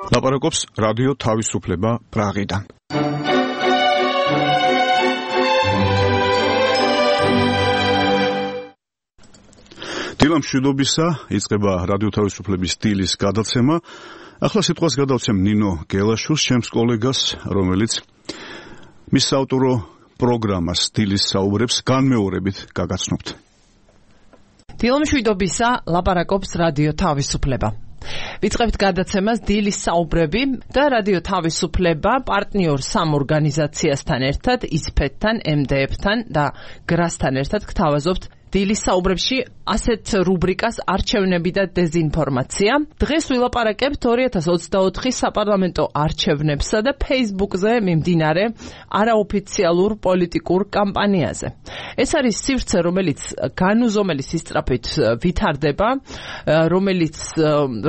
ლაპარაკობს რადიო თავისუფლება პრაღიდან. დილა მშვიდობისა, იწყება რადიო თავისუფლების დილის გადაცემა. ახლა სიტყვას გადავცემ ნინო გელაშვილს, ჩემს კოლეგას, რომელიც მის საავტორო პროგრამას დილის საუბრებს განმეორებით გაგაცნობთ. დილა მშვიდობისა, ლაპარაკობს რადიო თავისუფლება. ვიწყებთ გადაცემას დილის საუბრები და რადიო თავისუფლება პარტნიორ სამ ორგანიზაციასთან ერთად, ISPET-თან, MDF-თან და GRAS-თან ერთად გთავაზობთ დილის საუბრებში ასეთ რუბრიკას არჩევნები და დეზინფორმაცია. დღეს ვილაპარაკებთ 2024 საპარლამენტო არჩევნებსა და Facebook-ზე მიმდინარე არაოფიციალურ პოლიტიკურ კამპანიაზე. ეს არის სივრცე, რომელიც განუზომელი სისწრაფით ვითარდება,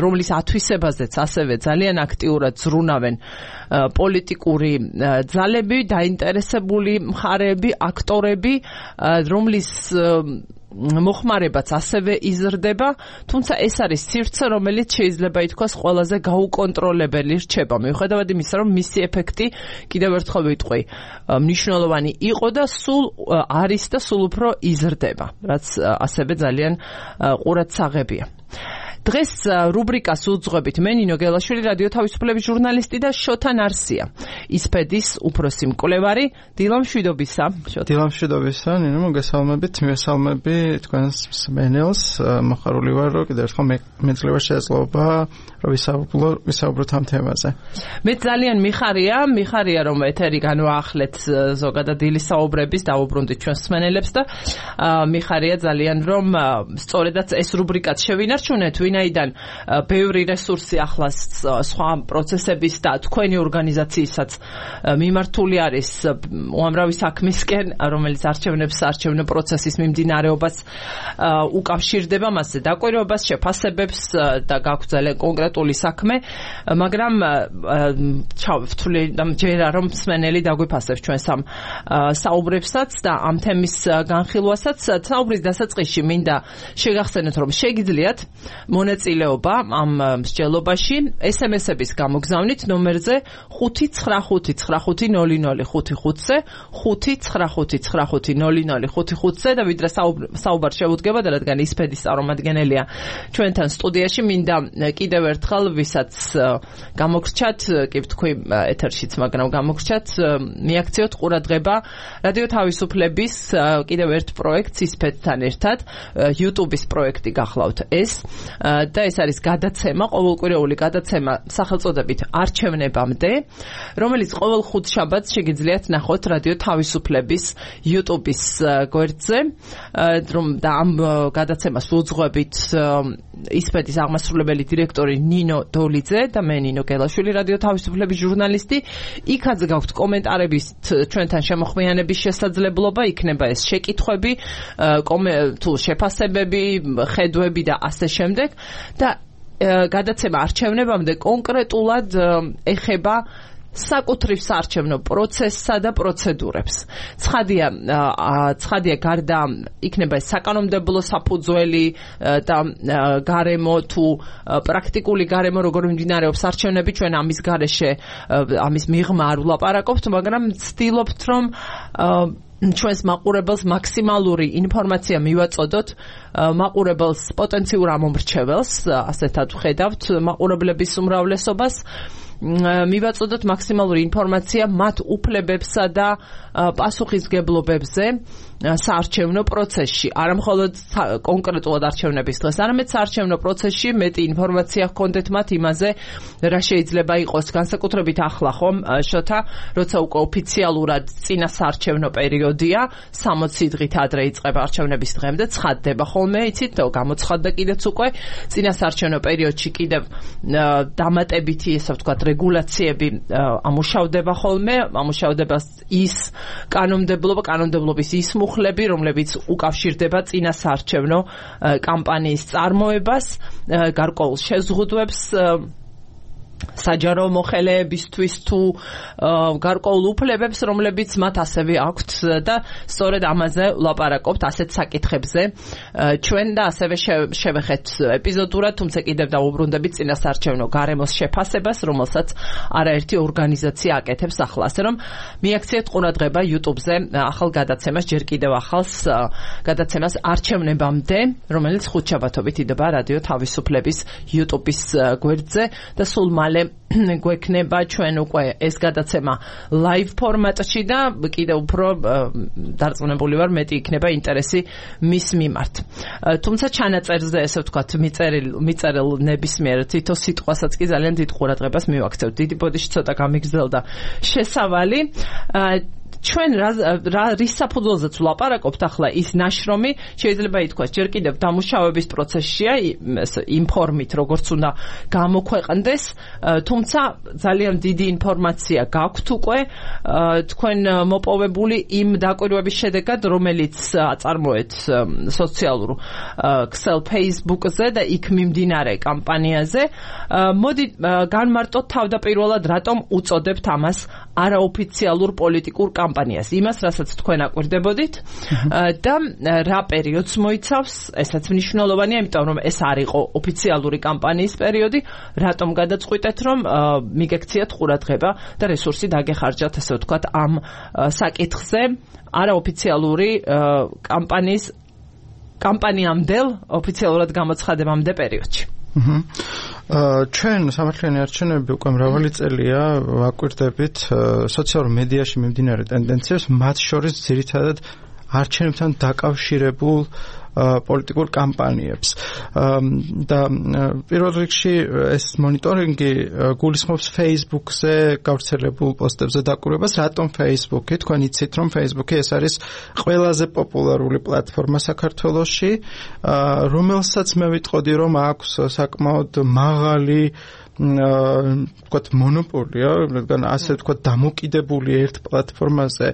რომლის ათვისებაზეც ასევე ძალიან აქტიურად ზრუნავენ პოლიტიკური ძალები, დაინტერესებული მხარეები, აქტორები, რომლის მოხმარებაც ასევე იზრდება, თუმცა ეს არის სივრცე, რომელიც შეიძლება ითქვას ყველაზე გაუკონტროლებელი რჩება, მიუხედავად იმისა, რომ მისი ეფექტი კიდევ ერთხელ ვიტყვი, მნიშვნელოვანი იყო და სულ არის და სულ უფრო იზრდება, რაც ასევე ძალიან ყურადსაღებია. დღეს რუბრიკას უძღვებით მე ნინო გელაშვილი, რადიო თავისუფლების ჟურნალისტი და შოთა ნარსია, ISPET-ის უფროსი მკვლევარი. დილა მშვიდობისა. დილა მშვიდობისა, ნინო, მოგესალმებით, მივესალმები თქვენს მსმენელს. მოხარული ვარ, რომ კიდევ ერთხელ მეძლევა შესაძლებლობა რომ ვისაუბროთ ამ თემაზე. მე ძალიან მიხარია რომ ეთერი განვაახლეთ ზოგადად დილის საუბრების, დავუბრუნდით ჩვენს მსმენელებს და მიხარია ძალიან რომ სწორედაც ეს რუბრიკაც შევინარჩუნეთ, ვინაიდან ბევრი რესურსი ახლა სხვა პროცესების და თქვენი ორგანიზაციისაც მიმართული არის უამრავი საქმისკენ, რომელიც არჩევნო პროცესის მიმდინარეობას უკავშირდება, მასზე დაკვირვებას, შეფასებებს და გაქვთ ძალიან კონკრეტული საქმე, მაგრამ ვთვლი ჯერა რომ მსმენელი დაგვიფასებს ჩვენს ამ საუბრებსაც და ამ თემის განხილვასაც. საუბრის დასაწყისში მინდა შეგახსენოთ, რომ შეგიძლიათ მონაწილეობა ამ მსჯელობაში SMS-ების გამოგზავნით ნომერზე 595500555-ზე 595500555-ზე და ვიდრე საუბარ შევუდგება და რადგან ISPET-ის წარმომადგენელია ჩვენთან სტუდიაში, მინდა კიდევ ერთხელ ვისაც გამოგრჩათ, კი ვთქვი ეთერშიც, მაგრამ გამოგრჩათ, მიაქციოთ ყურადღება რადიო თავისუფლების კიდევ ერთ პროექტს ISPET-თან ერთად, YouTube-ის პროექტი გახლავთ ეს და ეს არის გადაცემა, ყოველკვირეული გადაცემა სახელწოდებით არჩევნებამდე, რომელიც ყოველ ხუთშაბათს შეგიძლიათ ნახოთ რადიო თავისუფლების YouTube-ის გვერდზე და ამ გადაცემას უძღვებით ISPET-ის აღმასრულებელი დირექტორი ნინო დოლიძე და მე ნინო გელაშვილი, რადიო თავისუფლების ჟურნალისტი. იქაც გაქვთ კომენტარების ჩვენთან შემოხმიანების შესაძლებლობა, იქნება ეს შეკითხვები, თუ შეფასებები, ხედვები და ასე შემდეგ და გადაცემა არჩევნებამდე კონკრეტულად ეხება საკუთრივ საარჩევნო პროცესსა და პროცედურებს. ცხადია გარდა იქნება ეს საკანონმდებლო საფუძველი და გარემო თუ პრაქტიკული გარემო, როგორ მიმდინარეობს არჩევნები, ჩვენ ამის გარეშე, ამის მიღმა არ ვლაპარაკობთ, მაგრამ ვცდილობთ, რომ ჩვენს მაყურებელს მაქსიმალური ინფორმაცია მივაწოდოთ, მაყურებელს პოტენციურ ამომრჩეველს, ასეთად ვხედავთ მაყურებლების უმრავლესობას, მივაწოდოთ მაქსიმალური ინფორმაცია მათ უფლებებსა და პასუხისგებლობებზე საარჩევნო პროცესში. არა მხოლოდ კონკრეტულად არჩევნების დღეს, არამედ საარჩევნო პროცესში მეტი ინფორმაცია ჰქონდეთ მათ იმაზე, რა შეიძლება იყოს განსაკუთრებით ახლა ხომ, შოთა, როცა უკვე ოფიციალურად წინა საარჩევნო პერიოდია, 60 დღით ადრე იწყება არჩევნების დღემდე, ცხადდება ხოლმე, იცით, გამოცხადდა კიდეც უკვე წინა საარჩევნო პერიოდში კიდევ დამატებითი, ესე ვთქვათ, რეგულაციები ამუშავდება ხოლმე, ამუშავდება ის კანონმდებლობის ის მუხლები, რომლებიც უკავშირდება წინა საარჩევნო კამპანიის წარმოებას, გარკვეულ შეზღუდვებს საჯარო მოხელეებისთვის თუ გარკვეულ უფლებებს, რომლებიც მათ ასევე აქვთ და სწორედ ამაზე ვლაპარაკობთ ასეთ საკითხებზე. ჩვენ და ასევე შევეხეთ ეპიზოდურად, თუმცა კიდევ დავუბრუნდებით წინასაარჩევნო გარემოს შეფასებას, რომელსაც არაერთი ორგანიზაცია აკეთებს ახლა. ასე რომ მიაქციეთ ყურადღება YouTube-ზე ახალ გადაცემას, ჯერ კიდევ ახალს გადაცემას არჩევნებამდე, რომელიც ხუთშაბათობით იდება რადიო თავისუფლების YouTube-ის გვერდზე და სულ მალე გვექნება ჩვენ უკვე ეს გადაცემა live ფორმატში და კიდევ უფრო დარწმუნებული ვარ მეტი იქნება ინტერესი მის მიმართ. თუმცა ჩანაწერზე ესე ვთქვათ მიწერილ ნებისმიერ თითო სიტყვასაც კი ძალიან დიდ ყურადღებას მივაქცევთ. დიდი ბოდიში ცოტა გამიგრძელდა შესავალი. ჩვენ რის საფუძველზეც ვლაპარაკობთ ახლა ის ნაშრომი შეიძლება ითქვას ჯერ კიდევ დამუშავების პროცესშია იმ ფორმით როგორც უნდა გამოქვეყნდეს, თუმცა ძალიან დიდი ინფორმაცია გაქვთ უკვე თქვენ მოპოვებული იმ დაკვირვების შედეგად, რომელიც აწარმოეთ სოციალურ ქსელ Facebook-ზე და იქ მიმდინარე კამპანიაზე. მოდი განმარტოთ თავდაპირველად რატომ უწოდებთ ამას არაოფიციალურ პოლიტიკურ კამპანიას, იმას, რასაც თქვენ აკვირდებოდით და რა პერიოდს მოიცავს, ესაც მნიშვნელოვანია, იმიტომ რომ ეს არ იყო ოფიციალური კამპანიის პერიოდი, რატომ გადაწყვიტეთ, რომ მიგექციათ ყურადღება და რესურსი დაგეხარჯათ, ასე ვთქვათ, ამ საკითხზე არაოფიციალური კამპანიამდელ ოფიციალურად გამოცხადებამდე პერიოდში. ჩვენ სამართლიანი არჩევნები უკვე მრავალი წელია ვაკვირდებით სოციალურ მედიაში მიმდინარე ტენდენციებს, მათ შორის ძირითადად არჩევნებთან დაკავშირებულ პოლიტიკურ კამპანიებს. და პირველ რიგში ეს მონიტორინგი გულისხმობს Facebook-ზე გავრცელებულ პოსტებზე დაკვირვებას. რატომ Facebook-ი? თქვენ იცით, რომ Facebook-ი ეს არის ყველაზე პოპულარული პლატფორმა საქართველოში, რომელსაც მე ვიტყოდი, რომ აქვს საკმაოდ მაღალი ვთქვათ მონოპოლია, რადგან ასე ვთქვათ დამოკიდებული ერთ პლატფორმაზე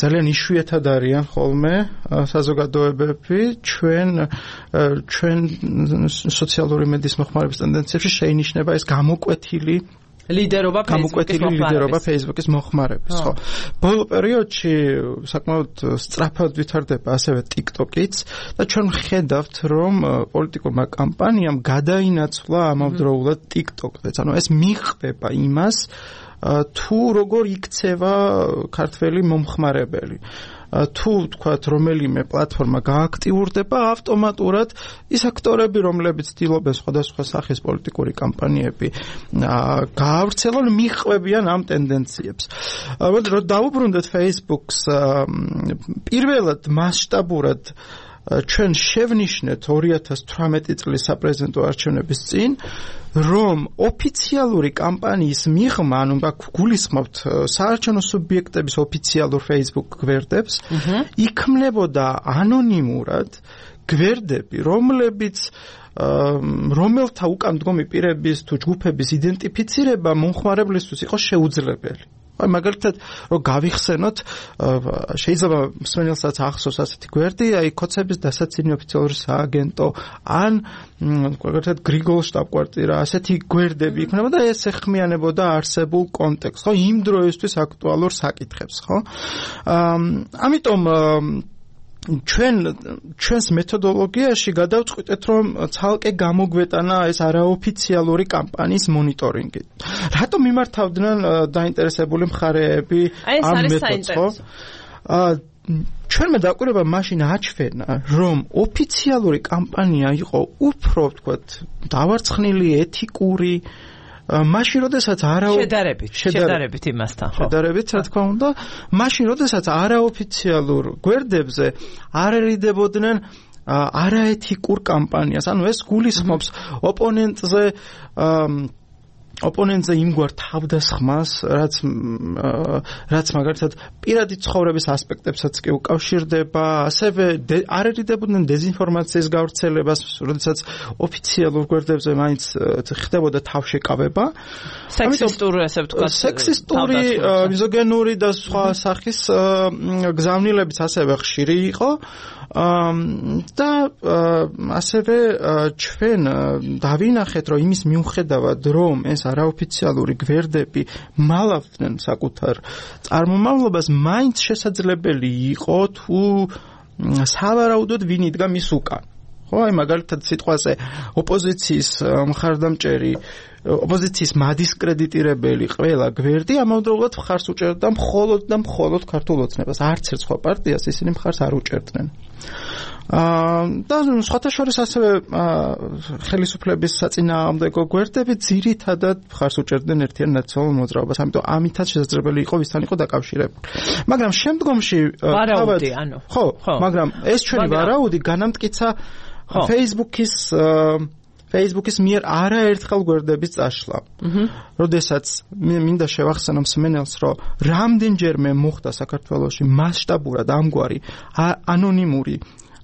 ძალიან იშვიათად არიან ხოლმე საზოგადოებები ჩვენ სოციალური მედიის მოხმარების ტენდენციებში შეინიშნება ეს გამოკვეთილი ლიდერობა Facebook-ის მოხმარების, ხო. ბოლო პერიოდში საკმაოდ სწრაფად ვითარდება ასევე TikTok-იც და ჩვენ ხედავთ, რომ პოლიტიკურმა კამპანიამ გადაინაცვლა ამავდროულად TikTok-ზე. ანუ ეს მიხვდება იმას, თუ როგორ იქცევა ქართველი მომხმარებელი. თუ თქვათ რომელიმე პლატფორმა გააქტიურდება, ავტომატურად ის აქტორები, რომლებიც ცდილობენ სხვადასხვა სახის პოლიტიკური კამპანიები გაავრცელონ, მიხვებიან ამ ტენდენციებს. მოდი რომ დავუბრუნდეთ Facebook-ს, პირველად მასშტაბურად ჩვენ შევნიშნეთ 2018 წლის საპრეზიდენტო არჩევნების წინ, რომ ოფიციალური კამპანიის მიღმა, ანუ გულისხმობთ საარჩევნო სუბიექტების ოფიციალურ Facebook გვერდებს, იქმნებოდა ანონიმურად გვერდები, რომელთა უკან მდგომი პირების თუ ჯგუფების იდენტიფიცირება მომხმარებლისთვის იყო შეუძლებელი. მაგალითად, რომ გავიხსენოთ, შეიძლება მსმენელსაც ახსოვს ასეთი გვერდი, კოცების დასაცინი ოფიციალური სააგენტო, ან მაგალითად გრიგოლის შტაბ-კვარტირა, ასეთი გვერდები იქნება და ეს ეხმიანებოდა არსებულ კონტექსტს, ხო, იმ დროისთვის აქტუალურ საკითხებს, ხო? ამიტომ ჩვენს მეთოდოლოგიაში გადავწყვიტეთ, რომ ცალკე გამოგვეტანა ეს არაოფიციალური კამპანიის მონიტორინგი. რატომ მიმართავდნენ დაინტერესებული მხარეები ამ მეთოდს, ხო? ჩვენმა დაკვირვება მაშინ აჩვენა, რომ ოფიციალური კამპანია იყო უფრო, ვთქვათ, დავარცხნილი, ეთიკური, მაშინ როდესაც შედარებით იმასთან, ხო? შედარებით, რა თქმა უნდა, მაშინ როდესაც არაოფიციალურ გვერდებზე არ ერიდებოდნენ არაეთიკურ კამპანიას. ანუ ეს გულისხმობს ოპონენტზე იმგვარ თავდასხმას, რაც მაგალითად პირადი ცხოვრების ასპექტებსაც კი უკავშირდება, ასევე არ ერიდებოდნენ დეზინფორმაციის გავრცელებას, როდესაც ოფიციალურ გვერდებზე მაინც ხდებოდა თავშეკავება. სექსისტური, ასე ვთქვათ, სექსისტური, მიზოგენური და სხვა სახის გზავნილებიც ასევე ხშირი იყო. და ასევე ჩვენ დავინახეთ, რომ იმის მიუხედავად, რომ ეს არაოფიციალური გვერდები მალავდნენ საკუთარ წარმომავლობას, მაინც შესაძლებელი იყო თუ სავარაუდოდ ვინ იდგა მის უკან. ხო, აი მაგალითად სიტყვაზე ოპოზიციის მხარდამჭერი, ოპოზიციის მადისკრედიტირებელი ყველა გვერდი ამავდროულად მხარს უჭერდა მხოლოდ და მხოლოდ ქართულ ოცნებას. არც ერთ სხვა პარტიას ისინი მხარს არ უჭერდნენ. და სხვათა შორის ასევე ხელისუფლების საწინააღმდეგო გვერდები ძირითადად მხარს უჭერდნენ ერთიან ნაციონალურ მოძრაობას, ამიტომ ამითაც შესაძლებელი იყო ვისთან იყო დაკავშირებული. მაგრამ შემდგომში ვარაუდი, ანუ ხო, მაგრამ ეს ჩვენი ვარაუდი განამტკიცა Facebook-ის მიერ არაერთხელ გვერდების წაშლა. როდესაც მინდა შევახსენო მსმენელს, რომ რამდენჯერმე მოხდა საქართველოში მასშტაბურად ამგვარი ანონიმური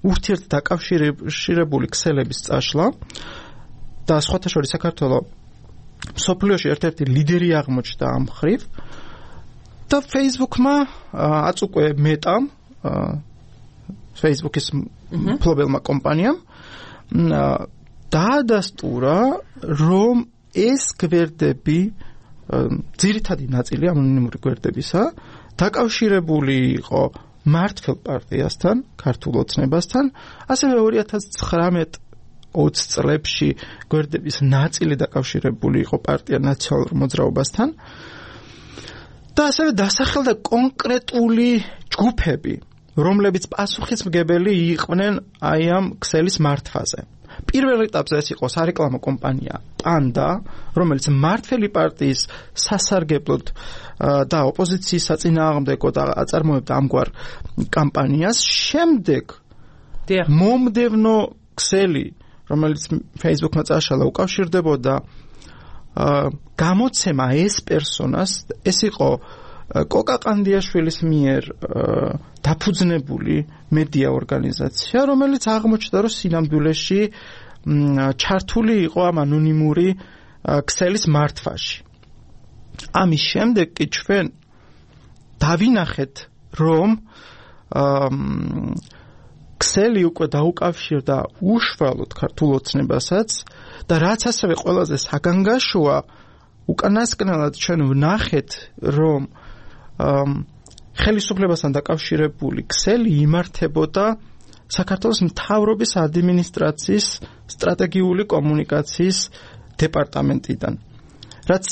ურთიერთდაკავშირებული ქსელების წაშლა და სხვათა შორის საქართველოს მსოფლიოში ერთ-ერთი ლიდერი აღმოჩნდა ამ მხრივ და Facebook-მა აწ უკვე მეტამ Facebook-ის მფლობელმა კომპანიამ დაადასტურა, რომ ეს გვერდები ძირითადი ნაწილი ანონიმური გვერდებისა დაკავშირებული იყო მართლ პარტიასთან, ქართულ ოცნებასთან, ასევე 2019-20 წლებში გვერდების ნაწილი დაკავშირებული იყო პარტია ნაციონალურ მოძრაობასთან და ასევე დასახელდა კონკრეტული ჯგუფები, რომლებიც პასუხისმგებელი იყვნენ აი ამ ქსელის მართვაზე. პირველ ეტაპზე ეს იყო სარეკლამო კომპანია პანდა, რომელიც მმართველი პარტიის სასარგებლოდ და ოპოზიციის საწინააღმდეგოდ აწარმოებდა ამგვარ კამპანიას. შემდეგ მომდევნო ქსელი, რომელიც Facebook-მა წაშალა, უკავშირდებოდა გამოცემა ეს პერსონას, ეს იყო კოკა ყანდიაშვილის მიერ დაფუძნებული მედია ორგანიზაცია, რომელიც აღმოჩნდა, რომ სინამდვილეში ჩართული იყო ამ ანონიმური ქსელის მართვაში. ამის შემდეგ კი ჩვენ დავინახეთ, რომ ქსელი უკვე დაუკავშირდა უშუალოდ ქართულ ოცნებასაც და რაც ასევე ყველაზე საგანგაშოა, უკანასკნელად ჩვენ ვნახეთ, რომ ხელისუფლებასთან დაკავშირებული ქსელი იმართებოდა საქართველოს მთავრობის ადმინისტრაციის სტრატეგიული კომუნიკაციის დეპარტამენტიდან. რაც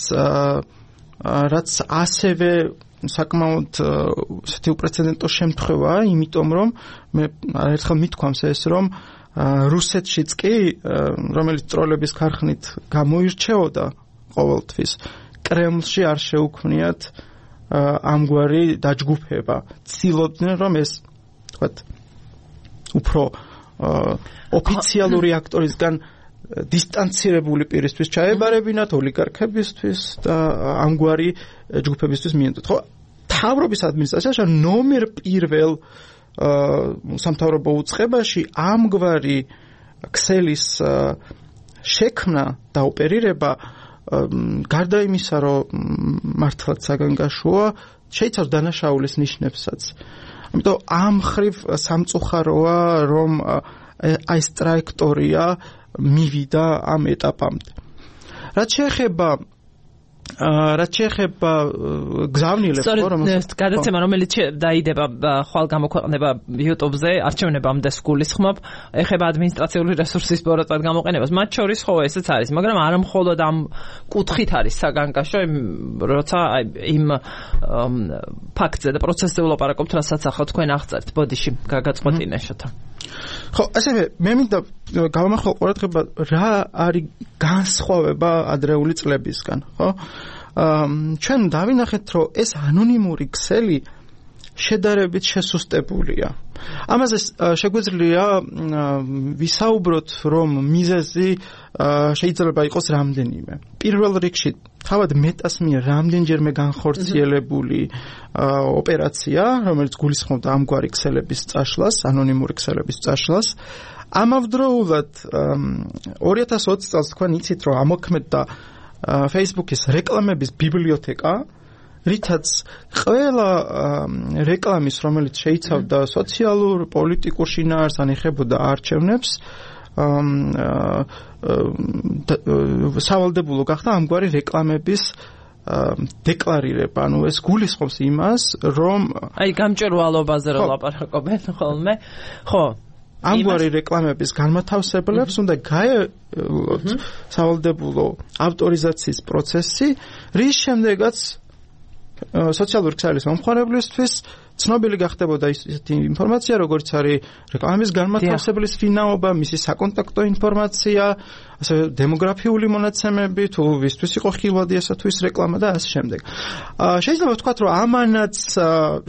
ასევე საკმაოდ ესეთი უპრეცედენტო შემთხვევაა, იმიტომ რომ მე ერთხელ მithქვამს ეს, რომ რუსეთშიც კი, რომელიც ტროლების ქარხნით გამოირჩეოდა ყოველთვის, კრემლში არ შეუქმნიათ ამგვარი დაჯგუფება. ცდილობდნენ, რომ ეს თქვათ უფრო ოფიციალური აქტორისგან დისტანცირებული პირისთვის ჩაებარებინათ, ოლიგარქებისთვის და ამგვარი ჯგუფებისთვის მიენდოთ. ხო, მთავრობის ადმინისტრაციაში ნომერ პირველ სამთავრობო უწყებაში ამგვარი ქსელის შექმნა და ოპერირება გარდა იმისა, რომ მართლაც საგანგაშოა, შეიცავს დანაშაულის ნიშნებსაც. ამიტომ ამ მხრივ სამწუხაროა, რომ აი ეს ტრაექტორია მივიდა ამ ეტაპამდე. რაც შეეხება გზავნილებს, რომელიც გადაცემა, რომელიც დაიდება ხვალ გამოქვეყნება YouTube-ზე, არჩევნებამდე სგულისხმობ, ეხება ადმინისტრაციული რესურსის პოროტად გამოყენებას. მათ შორის ხო ესეც არის, მაგრამ არა მხოლოდ ამ კუთხით არის საგანგაშო, როცა იმ ფაქტზე და პროცესზე ვლაპარაკობთ, რასაც ახლა თქვენ აღწერთ. ბოდიში, გაგაწყვეტინე შოთა. ხო, ასევე მე მინდა გავამახვილო ყურადღება, რა არის განსხვავება ადრეული წლებისგან, ხო? ჩვენ დავინახეთ, რომ ეს ანონიმური ქსელი შედარებით შესუსტებულია. ამაზე შეგვიძლია ვისაუბროთ, რომ მიზეზი შეიძლება იყოს რამდენიმე. პირველ რიგში თავად მეტას მიერ რამდენჯერმე განხორციელებული ოპერაცია, რომელიც გულისხმობდა ამგვარი ქსელების წაშლას, ანონიმური ქსელების წაშლას. ამავდროულად 2020 წელს თქვენ იცით, რომ ამოქმედდა Facebook-ის რეკლამების ბიბლიოთეკა, რითაც ყველა რეკლამის, რომელიც შეიცავდა სოციალურ, პოლიტიკურ შინაარსს ან ეხებოდა არჩევნებს, სავალდებულო გახდა ამგვარი რეკლამების დეკლარირება, ანუ ეს გულისხმობს იმას, რომ აი გამჭვირვალობაზე რომ ლაპარაკობენ ხოლმე, ხო, ამგვარი რეკლამების განმათავსებლებს უნდა გაევლოთ სავალდებულო ავტორიზაციის პროცესი, რის შემდეგაც სოციალური ქსელის მომხმარებლისთვის ცნობილი გახდებოდა ისეთი ინფორმაცია, როგორც არის რეკლამის განმათავსებლის ვინაობა, მისი საკონტაქტო ინფორმაცია, ასევე დემოგრაფიული მონაცემები, თუ ვისთვის იყო ხილვადი ესა თუ ის რეკლამა და ასე შემდეგ. შეიძლება ვთქვათ, რომ ამანაც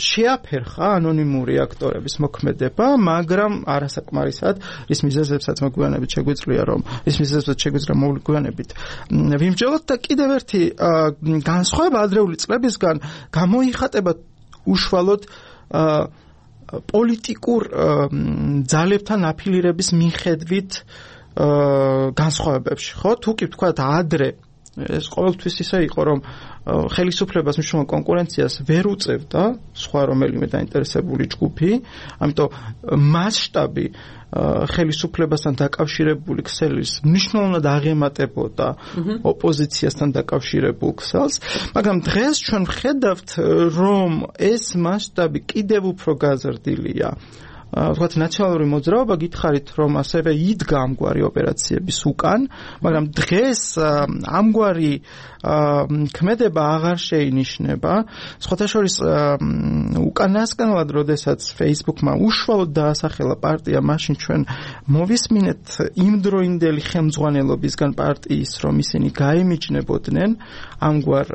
შეაფერხა ანონიმური აქტორების მოქმედება, მაგრამ არასაკმარისად, რის მიზეზებსაც მოგვიანებით შეგვიძლია, რომ ის მიზეზებსაც შეგვიძლია მოგვიანებით ვიმსჯელოთ და კიდევ ერთი განსხვავება ადრეული წლებისგან გამოიხატება უშუალოდ პოლიტიკურ ძალებთან აფილირების მიხედვით განსხვავებებში, ხო? თუ კი ვთქვათ ადრე ეს ყოველთვის ისე იყო, რომ ხელისუფლებას მნიშვნელოვან კონკურენციას ვერ უწევდა სხვა რომელიმე დაინტერესებული ჯგუფი, ამიტომ მასშტაბი ხელისუფლებასთან დაკავშირებული ქსელის მნიშვნელოვნად აღემატებოდა ოპოზიციასთან დაკავშირებულ ქსელს, მაგრამ დღეს ჩვენ ვხედავთ, რომ ეს მასშტაბი კიდევ უფრო გაზრდილია. ვთქვათ, ნაციონალური მოძრაობა გითხარით, რომ ასევე იდგა ამგვარი ოპერაციების უკან, მაგრამ დღეს ამგვარი ქმედება აღარ შეინიშნება. სხვათა შორის უკანასკნელად, როდესაც Facebook-მა უშუალოდ დაასახელა პარტია, მაშინ ჩვენ მოვისმინეთ იმდროინდელი ხელმძღვანელობისგან პარტიის, რომ ისინი გაემიჯნებოდნენ ამგვარ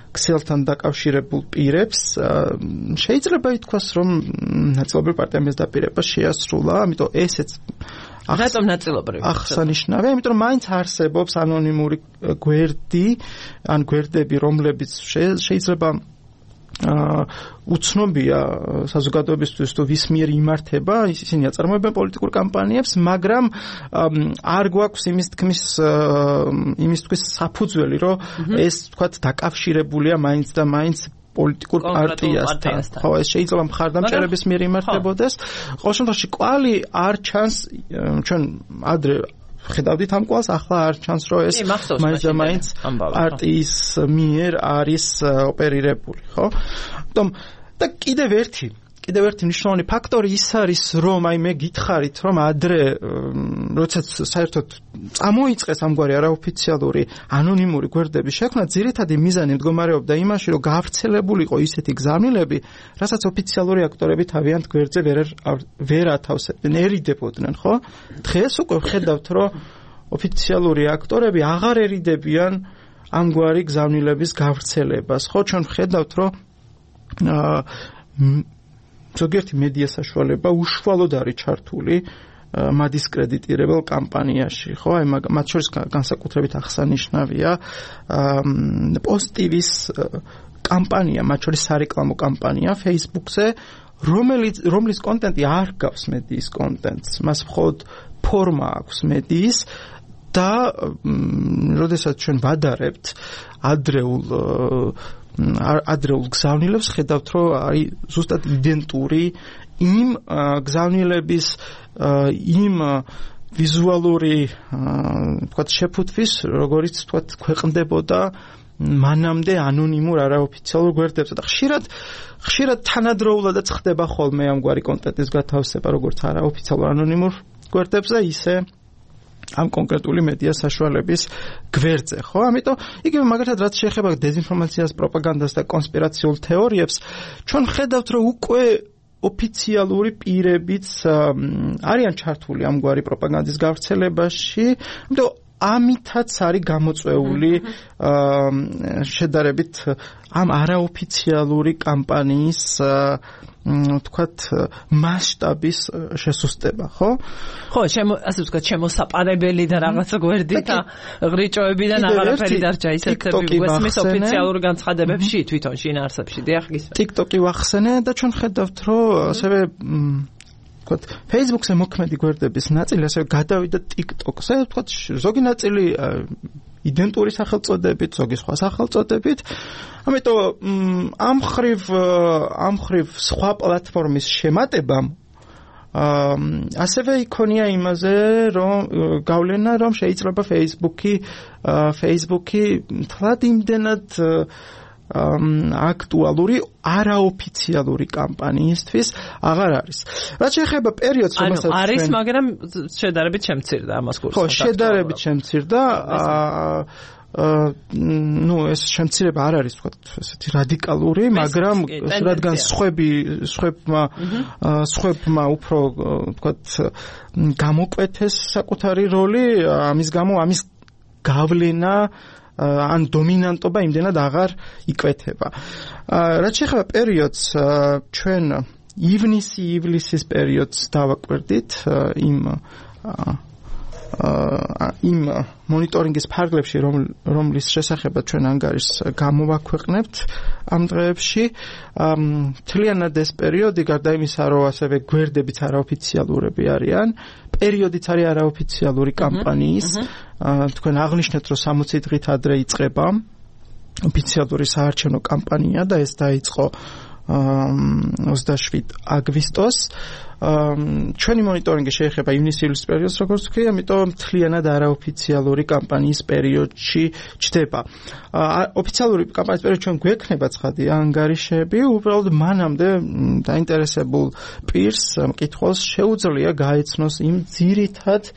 ქსელთან დაკავშირებულ პირებს. შეიძლება ითქვას, რომ ნაწილობრივ პარტიამ ეს დაპირება შეასრულა, ამიტომ ესეც რატომ ნაწილობრივ? აღსანიშნავია, იმიტომ რომ მაინც არსებობს ანონიმური გვერდი, ან გვერდები, რომლებიც შეიძლება უცნობია საზოგადოებისთვის თუ ვის მიერ იმართება, ისინი აწარმოებენ პოლიტიკურ კამპანიებს, მაგრამ არ გვაქვს იმის თქმის საფუძველი, რომ ეს თქვათ დაკავშირებულია მაინც და მაინც პოლიტიკურ პარტიასთან. ხო, ეს შეიძლება მხარდამჭერების მიერ იმართებოდეს. ყოველ შემთხვევაში კვალი არ ჩანს, ჩვენ ადრე ხედავდით ამ კვალს, ახლა არ ჩანს, რომ ეს მაინც და მაინც პარტიის მიერ არის ოპერირებული, ხო? ამიტომ და კიდევ ერთი მნიშვნელოვანი ფაქტორი ის არის, რომ აი მე გითხარით, რომ ადრე როდესაც საერთოდ წამოიწყეს ამგვარი არაოფიციალური ანონიმური გვერდების შექმნა, ძირითადი მიზანი მდგომარეობდა იმაში, რომ გავრცელებულიყო ისეთი გზავნილები, რასაც ოფიციალური აქტორები თავიანთ გვერდზე ვერ ათავსებდნენ, ერიდებოდნენ, ხო? დღეს უკვე ვხედავთ, რომ ოფიციალური აქტორები აღარ ერიდებიან ამგვარი გზავნილების გავრცელებას, ხო? ჩვენ ვხედავთ, რომ ზოგიერთი მედია საშუალება უშუალოდ არის ჩართული მადისკრედიტირებელ კამპანიაში, ხო? აი მათ შორის განსაკუთრებით აღსანიშნავია პოსტივის კამპანია, მათ შორის სარეკლამო კამპანია Facebook-ზე, რომლის კონტენტი არ გავს მედიის კონტენტს, მას მხოლოდ ფორმა აქვს მედიის და როდესაც ჩვენ ვადარებთ ადრეულ გზავნილებს, ხედავთ, რომ არის ზუსტად იდენტური იმ გზავნილების იმ ვიზუალური თქვათ შეფუთვის, როგორც თქვათ ქვეყნდებოდა მანამდე ანონიმურ არაოფიციალურ გვერდებზე და ხშირად თანადროულადაც ხდება ხოლმე ამგვარი კონტენტის გათავსება, როგორც არაოფიციალურ ანონიმურ გვერდებზე, ისე ამ კონკრეტული მედია საშუალების გვერდზე, ხო? ამიტომ იგივე მაგალითად რაც შეეხება დეзинფორმაციას, პროპაგანდას და კონსპირაციულ თეორიებს, ჩვენ ხედავთ, რომ უკვე ოფიციალური პირებიც არიან ჩართული ამგვარი პროპაგანდის გავრცელებაში, ამიტომ ამითაც არის გამოწვეული შედარებით ამ არაოფიციალური კამპანიის თქვათ მასშტაბის შესუსტება, ხო? ხო, ასე ვთქვათ, შემოსაპარებელი და რაღაცა გვერდით და ღრიჭოებიდან აღარაფერი დარჩა, ისეთები გვესმის ოფიციალურ განცხადებებში, თვითონ შინაარსებში, დიახ, გისმენთ. TikTok-ი ვახსენე და ჩვენ ხედავთ, რომ ასევე თქვათ, Facebook-ზე მოქმედი გვერდების ნაწილი ასევე გადავიდა TikTok-ზე, თქვათ, ზოგი ნაწილი იდენტური სახელწოდებით, ზოგი სხვა სახელწოდებით. ამიტომ ამ ხრივ სხვა პლატფორმის შემატებამ ასევე იქონია იმაზე, რომ გავლენა, რომ შეიძლება Facebook-ი თლად იმდენად აქტუალური არაოფიციალური კამპანიისთვის აღარ არის. რაც შეეხება პერიოდს, რომელსაც არის, მაგრამ შედარებით შემცირდა ამას კურსს. ხო, შედარებით შემცირდა. ეს შემცირება არ არის, ვთქვათ, ესეთი რადიკალური, მაგრამ რადგან სხვებმა უფრო, ვთქვათ, გამოკვეთეს საკუთარი როლი, ამის გამო ამის გავლენა ან დომინანტობა იმდენად აღარ იკვეთება. რაც შეეხება პერიოდს, ჩვენ ივნისის პერიოდს დავაკვირდით იმ მონიტორინგის ფარგლებში, რომლის შესახებაც ჩვენ ანგარიშს გამოვაქვეყნებთ ამ დღეებში, მთლიანად ეს პერიოდი, გარდა იმისა, რომ ასევე გვერდებიც არაოფიციალურები არიან, პერიოდიც არის არაოფიციალური კამპანიის. თქვენ აღნიშნეთ, რომ 60 დღით ადრე იწყება ოფიციალური საარჩევნო კამპანია და ეს დაიწყო 27 აგვისტოს. ჩვენი მონიტორინგი შეეხება ივნისის პერიოდს, როგორც ვთქვი, ამიტომ მთლიანად არაოფიციალური კამპანიის პერიოდში ჩდება. ოფიციალური კამპანიის პერიოდში ჩვენ გვექნება ცხადი ანგარიშები, უბრალოდ მანამდე დაინტერესებულ პირს მკითხველს შეუძლია გაეცნოს იმ ძირითად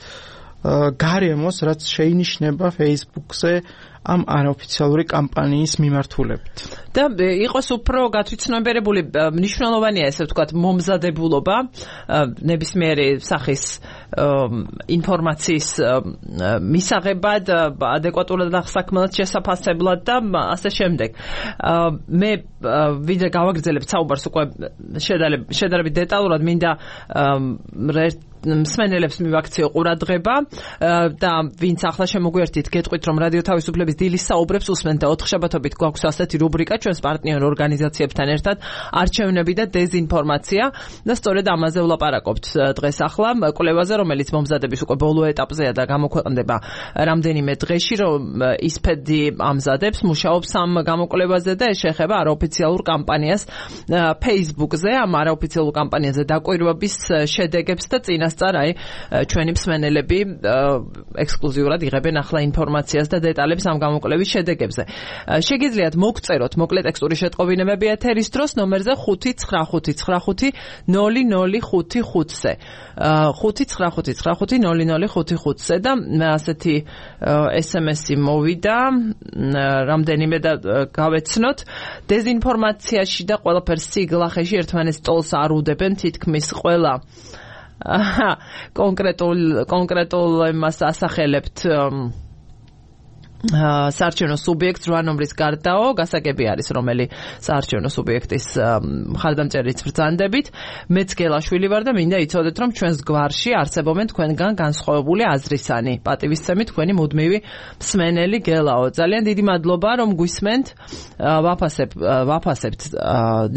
გარემოს, რაც შეინიშნება Facebook-ზე ამ არაოფიციალური კამპანიის მიმართულებით. და იყოს უფრო გათვითცნობიერებული, მნიშვნელოვანია ესე ვთქვათ, მომზადებულობა, ნებისმიერი სახის ინფორმაციის მისაღებად, ადეკვატურად და საქმელად შესაფასებლად და ასე შემდეგ. მე ვიდრე გავაგრძელებ საუბარს უკვე შედარებით დეტალურად, მინდა მსმენელებს მივაქციო ყურადღება და ვინც ახლა შემოგვიერთით, გეტყვით, რომ რადიო თავისუფლების დილის საუბრებს უსმენთ და 4 შაბათობით გვაქვს ასეთი რუბრიკა ჩვენს პარტნიორ ორგანიზაციებთან ერთად, არჩევნები და დეზინფორმაცია და სწორედ ამაზე ვლაპარაკობთ დღეს ახლა კვლევაზე, რომელიც მომზადების უკვე ბოლო ეტაპზეა და გამოქვეყნდება რამდენიმე დღეში, რომ ისფედი ამზადებს, მუშაობს ამ გამოკვლევაზე და ეს შეეხება არაოფიციალურ კამპანიას Facebook-ზე, ამ არაოფიციალურ კამპანიაზე დაკვირვების შედეგებს და წინასწარ ჩვენი მსმენელები ექსკლუზიურად იღებენ ახლა ინფორმაციას და დეტალებს ამ გამოკვლევის შედეგებზე. შეგიძლიათ მოგწეროთ მოკლე ტექსტური შეტყობინებები ეთერის დროს ნომერზე 595500555-ზე. 595500555-ზე და ასეთი SMS-ი მოვიდა, რამდენიმე და გავეცნოთ. დეზინფორმაციაში და ყველაფერს სიგლახეში ერთმანეთს ტოლს არ უდებენ, თითქმის ყველა კონკრეტულ იმას ასახელებთ საარჩევნო სუბიექტს 8 ნომრის გარდაო, გასაგები არის რომელი საარჩევნო სუბიექტის მხარდამჭერით ბრძანდებით. მეც გელაშვილი ვარ და მინდა იცოდეთ, რომ ჩვენს გვარში არსებობენ თქვენგან განსხვავებული აზრისანი. პატივისცემით თქვენი მუდმივი მსმენელი გელაო. ძალიან დიდი მადლობა, რომ გვისმენთ. ვაფასებთ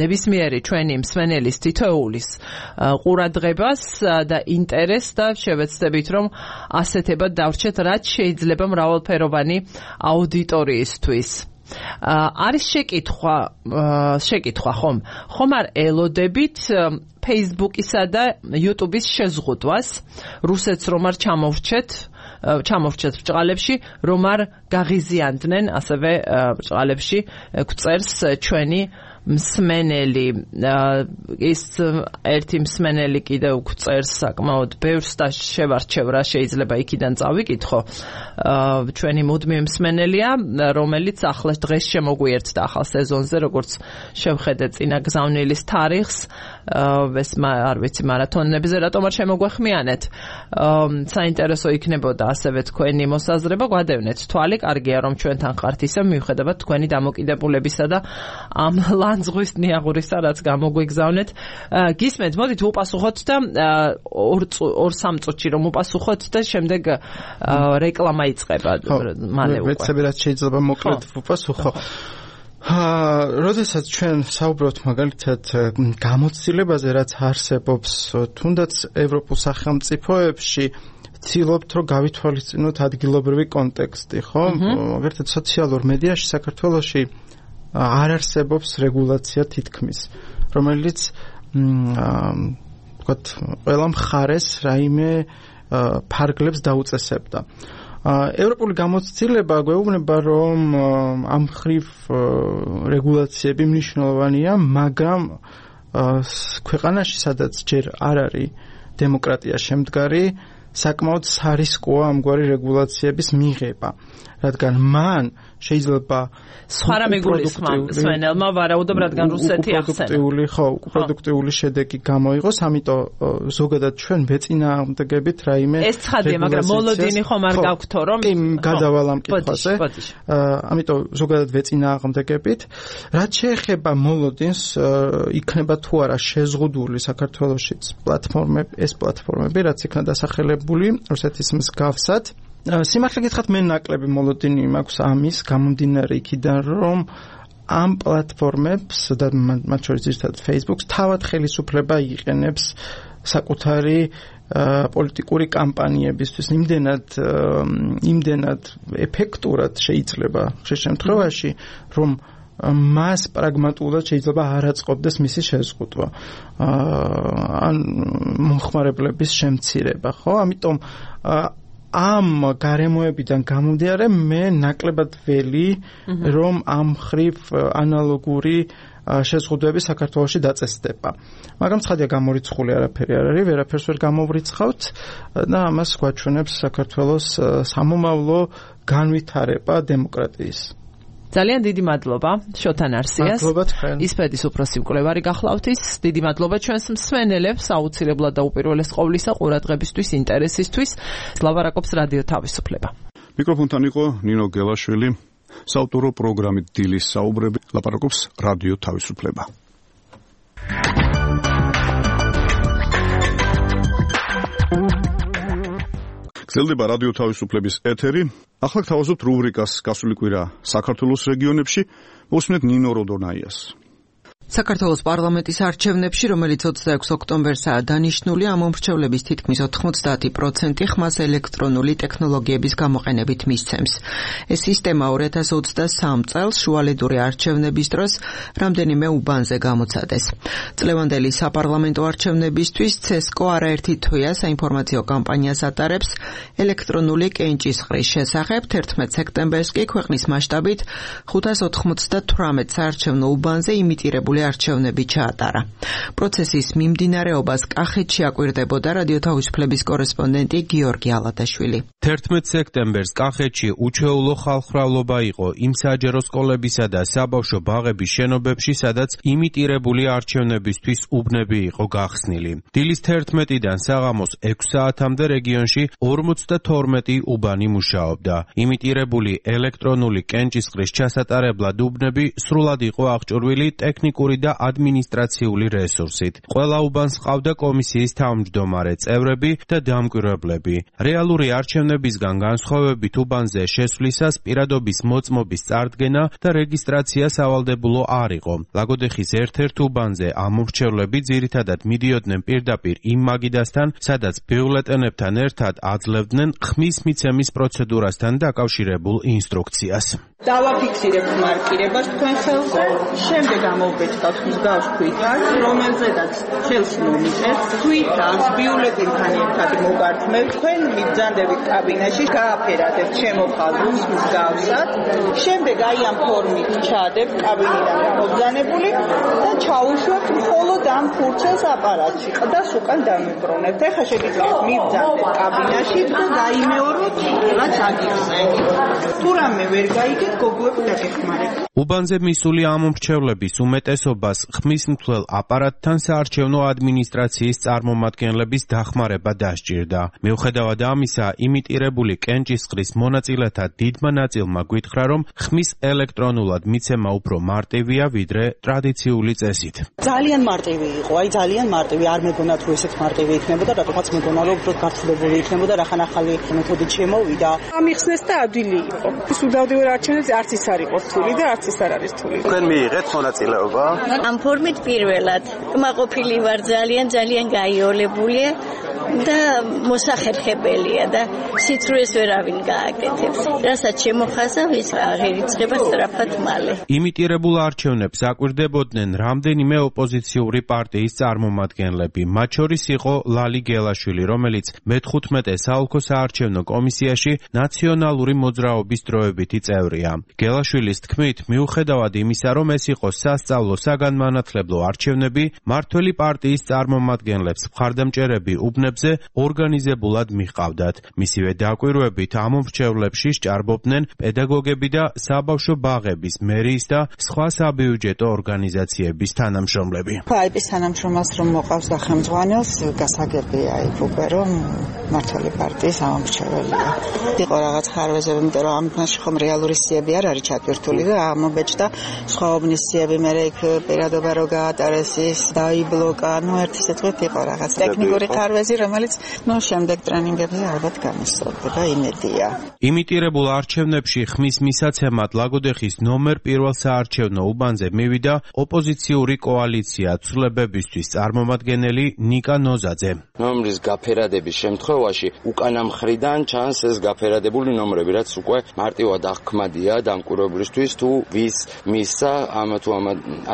ნებისმიერი ჩვენი მსმენელის თითოეულის ყურადღებას და ინტერესს და შევეცდებით, რომ ასეთებად დავრჩეთ, რაც შეიძლება მრავალფეროვანი აუდიტორიისთვის. არის შეკითხვა ხომ არ ელოდებით Facebook-ისა და YouTube-ის შეზღუდვას, რუსეთს რომ არ ჩამოვრჩეთ ბჭყალებში, რომ არ გაღიზიანდნენ ასევე ბჭყალებში გვწერს ჩვენი მსმენელი. ის ერთი მსმენელი კიდევ გვწერს საკმაოდ ბევრს და შევარჩევ რა შეიძლება იქიდან წავიკითხო. ჩვენი მუდმივი მსმენელია, რომელიც ახლა დღეს შემოგვიერთდა ახალ სეზონზე, როგორც შევხედე წინა გზავნილის თარიღს, ეს არ ვიცი მარათონებზე რატომ არ შემოგვეხმიანეთ. საინტერესო იქნებოდა ასევე თქვენი მოსაზრება, გვადევნეთ თვალი, კარგია რომ ჩვენთან ხართ ისე მიუხედავად თქვენი დამოკიდებულებისა და ამ ლანძღვის ნიაღურისა, რაც გამოგვიგზავნეთ. გისმენთ, მოდით უპასუხოთ და 2-3 წუთში რომ უპასუხოთ და შემდეგ რეკლამა იწყება. მალე უკვე. ვეცები რაც შეიძლება მოკლედ უპასუხო. როდესაც ჩვენ საუბრობთ მაგალითად გამოცდილებაზე, რაც არსებობს თუნდაც ევროპულ სახელმწიფოებში, ვცდილობთ რომ გავითვალისწინოთ ადგილობრივი კონტექსტი, ხო? მაგალითად სოციალურ მედიაში საქართველოში არ არსებობს რეგულაცია თითქმის, რომელიც ვთქვათ, ყველა მხარეს რაიმე ფარგლებს დაუწესებდა. ევროპული გამოცდილება გვეუბნება, რომ ამ ხრივ რეგულაციები მნიშვნელოვანია, მაგრამ ქვეყანაში, სადაც ჯერ არ არის დემოკრატია შემდგარი, საკმაოდ სარისკოა ამგვარი რეგულაციების მიღება, რადგან მან შეიძლება სხვა რამე გულისხმობ, ვარაუდობ, რადგან რუსეთი ახსენა. პროდუქტიული შედეგი გამოიღოს, ამიტომ ზოგადად ჩვენ ვეწინააღმდეგებით რაიმე ეს ცხადია, მაგრამ მოლოდინი ხომ არ გაგვთო, რომ გადავალ ამ კითხვაზე. ამიტომ ზოგადად ვეწინააღმდეგებით. რაც შეეხება მოლოდინს, იქნება თუ არა შეზღუდული საქართველოშიც ეს პლატფორმები, რაც იქნა დასახელებული რუსეთის მსგავსად. სიმართლე გითხრათ, მე ნაკლები მოლოდინი მაქვს ამის გამომდინარე იქიდან, რომ ამ პლატფორმებს და მათ შორის ძირითადად Facebook-ს თავად ხელისუფლება იყენებს საკუთარი პოლიტიკური კამპანიებისთვის, იმდენად ეფექტურად შეიძლება ხშირ შემთხვევაში, რომ მას პრაგმატულად შეიძლება არ აწყობდეს მისი შეზღუდვა ან მომხმარებლების შემცირება, ხო? ამიტომ ამ გარემოებიდან გამომდინარე მე ნაკლებად ველი, რომ ამ ხრივ ანალოგური შეზღუდვები საქართველოში დაწესდება. მაგრამ ცხადია გამორიცხული არაფერი არ არის, ვერაფერს ვერ გამოვრიცხავთ და ამას გვაჩვენებს საქართველოს სამომავლო განვითარება დემოკრატიის. ძალიან დიდი მადლობა შოთან არსიას. ისპედის უფროსი მკვლევარი გახლავთ ის. დიდი მადლობა ჩვენს მსმენელებს, აუცილებლად და უპირველეს ყოვლისა ყურადღებისთვის, ინტერესისთვის. ლაპარაკობს რადიო თავისუფლება. მიკროფონთან იყო ნინო გელაშვილი. საავტორო პროგრამით დილის საუბრები ლაპარაკობს რადიო თავისუფლება. გრძელდება რადიო თავისუფლების ეთერი. ახლა გთავაზობთ რუბრიკას გასული კვირა საქართველოს რეგიონებში. მოსმენთ ნინო როდონაიას. საქართველოს პარლამენტის არჩევნებში, რომელიც 26 ოქტომბერსაა დანიშნული, ამ მომრჩევლების თითქმის 90% ხმას ელექტრონული ტექნოლოგიების გამოყენებით მისცემს. ეს სისტემა 2023 წელს შუალედური არჩევნების დროს რამდენიმე უბანზე გამოცადეს. წლევანდელი საპარლამენტო არჩევნებისთვის CESCO არაერთი თვეა საინფორმაციო კამპანიას ატარებს ელექტრონული კენჭისყრის შესახებ. 11 სექტემბერს კი ქვეყნის მასშტაბით 598 საარჩევნო უბანზე იმიტირებული არჩევნები ჩაატარა. პროცესის მიმდინარეობას კახეთში აკვირდებოდა რადიო თავისუფლების კორესპონდენტი გიორგი ალადაშვილი. 11 სექტემბერს კახეთში უჩვეულო ხალხმრავლობა იყო იმ საჯარო სკოლებისა და საბავშვო ბაღების შენობებში, სადაც იმიტირებული არჩევნებისთვის უბნები იყო გახსნილი. დილის 11-დან საღამოს 6 საათამდე რეგიონში 52 უბანი მუშაობდა. იმიტირებული ელექტრონული კენჭისყრის ჩასატარებლად უბნები სრულად იყო აღჭურვილი ტექნიკური და ადმინისტრაციული რესურსით. ყველა უბანს ჰყავდა კომისიის თავმჯდომარე წევრები და დამკვირვებლები. რეალური არჩევნებისგან განსხვავებით უბანზე შესვლისას პირადობის მოწმობის წარდგენა და რეგისტრაცია სავალდებულო არ იყო. ლაგოდეხის ერთ-ერთ უბანზე ამ მომრჩევლები ძირითადად მიდიოდნენ პირდაპირ იმ მაგიდასთან, სადაც ბიულეტენებთან ერთად აძლევდნენ ხმის მიცემის პროცედურასთან დაკავშირებულ ინსტრუქციას. დავაფიქსირებთ მარკირებას თქვენ ხელზე, შემდეგ ამოვბეჭდავთ მსგავს თვითას, რომელზედაც ხელს მომიწევთ, თვითას ბიულეტენთან ერთად მოგართმევთ, თქვენ მიბრძანდებით კაბინაში, გააფერადებთ შემოხაზულს მსგავსად, შემდეგ აი ამ ფორმით ჩაადებთ კაბინიდან გამობრძანებული და ჩაუშვებთ მხოლოდ ამ ფურცელს აპარატში, ყდას უკან დამიბრუნებთ. ეხლა შეგიძლიათ მიბრძანდეთ კაბინაში და დაიმეოროთ, რაც აგიხსენთ. თუ რამე ვერ გაიგეთ, გოგოებს დაგეხმარებთ. უბანზე მისული ამ მომრჩევლების უმეტესობას ხმის მთლელ აპარატთან საარჩევნო ადმინისტრაციის წარმომადგენლების დახმარება დასჭირდა. მიუხედავად ამისა, იმიტირებული კენჭისყრის მონაწილეთა დიდმა ნაწილმა გვითხრა, რომ ხმის ელექტრონულად მიცემა უფრო მარტივია, ვიდრე ტრადიციული წესით. ძალიან მარტივი იყო, ძალიან მარტივი, არ მეგონათ რომ ესეც მარტივი იქნებოდა, რატომაც მეგონა რომ უფრო გართულებული იქნებოდა, რახან ახალი მეთოდით შემოვიდა. ამიხსნეს და ადვილი იყო. სუდავდივარ არჩევნებზე არც ის არ იყო რთული და არც ის არ არის რთული. თქვენ მიიღეთ მონაწილეობა? ამ ფორმით პირველად კმაყოფილი ვარ, ძალიან გაიოლებული. და მოსახერხებელია და სიცრუეს ვერავინ გააკეთებს. რასაც შემოხაზავ, ის აღერიცხება სწრაფად მალე. იმიტირებულ არჩევნებს აკვირდებოდნენ რამდენიმე ოპოზიციური პარტიის წარმომადგენლები. მათ შორის იყო ლალი გელაშვილი, რომელიც მე-15 საოლქო საარჩევნო კომისიაში ნაციონალური მოძრაობის დროებითი წევრია. გელაშვილის თქმით, მიუხედავად იმისა, რომ ეს იყო სასწავლო საგანმანათლებლო არჩევნები, მართველი პარტიის წარმომადგენლებს მხარდამჭერები უბნებზე ორგანიზებულად მიჰყავდათ. მისივე დაკვირვებით ამ მომრჩევლებში სჭარბობდნენ პედაგოგები და საბავშვო ბაღების მერიის და სხვა საბიუჯეტო ორგანიზაციების თანამშრომლები. აიპის თანამშრომელს რომ მოყავს და ხელმძღვანელს გასაგებია იქ უკვე რომ მართალი პარტიის ამომრჩეველია. იყო რაღაც ხარვეზები, იმიტომ რომ ამ თემაში ხომ რეალური სიები არ არის ჩატვირთული და ამობეჭდა სხვა უბნის სიები მე იქ პირადობა რო გაატარეს ის დაიბლოკა, ერთი სიტყვით იყო რაღაც ტექნიკური ხარვეზი, რომელიც შემდეგ ტრენინგებზე ალბათ გამოსწორდება, იმედია. იმიტირებულ არჩევნებში ხმის მისაცემად ლაგოდეხის ნომერ პირველ საარჩევნო უბანზე მივიდა ოპოზიციური კოალიცია ცვლილებებისთვის წარმომადგენელი ნიკა ნოზაძე. ნომრის გაფერადების შემთხვევაში უკანა მხრიდან ჩანს ეს გაფერადებული ნომრები, რაც უკვე მარტივად აღქმადია დამკვირვებლისთვის თუ ვის მისცა ამ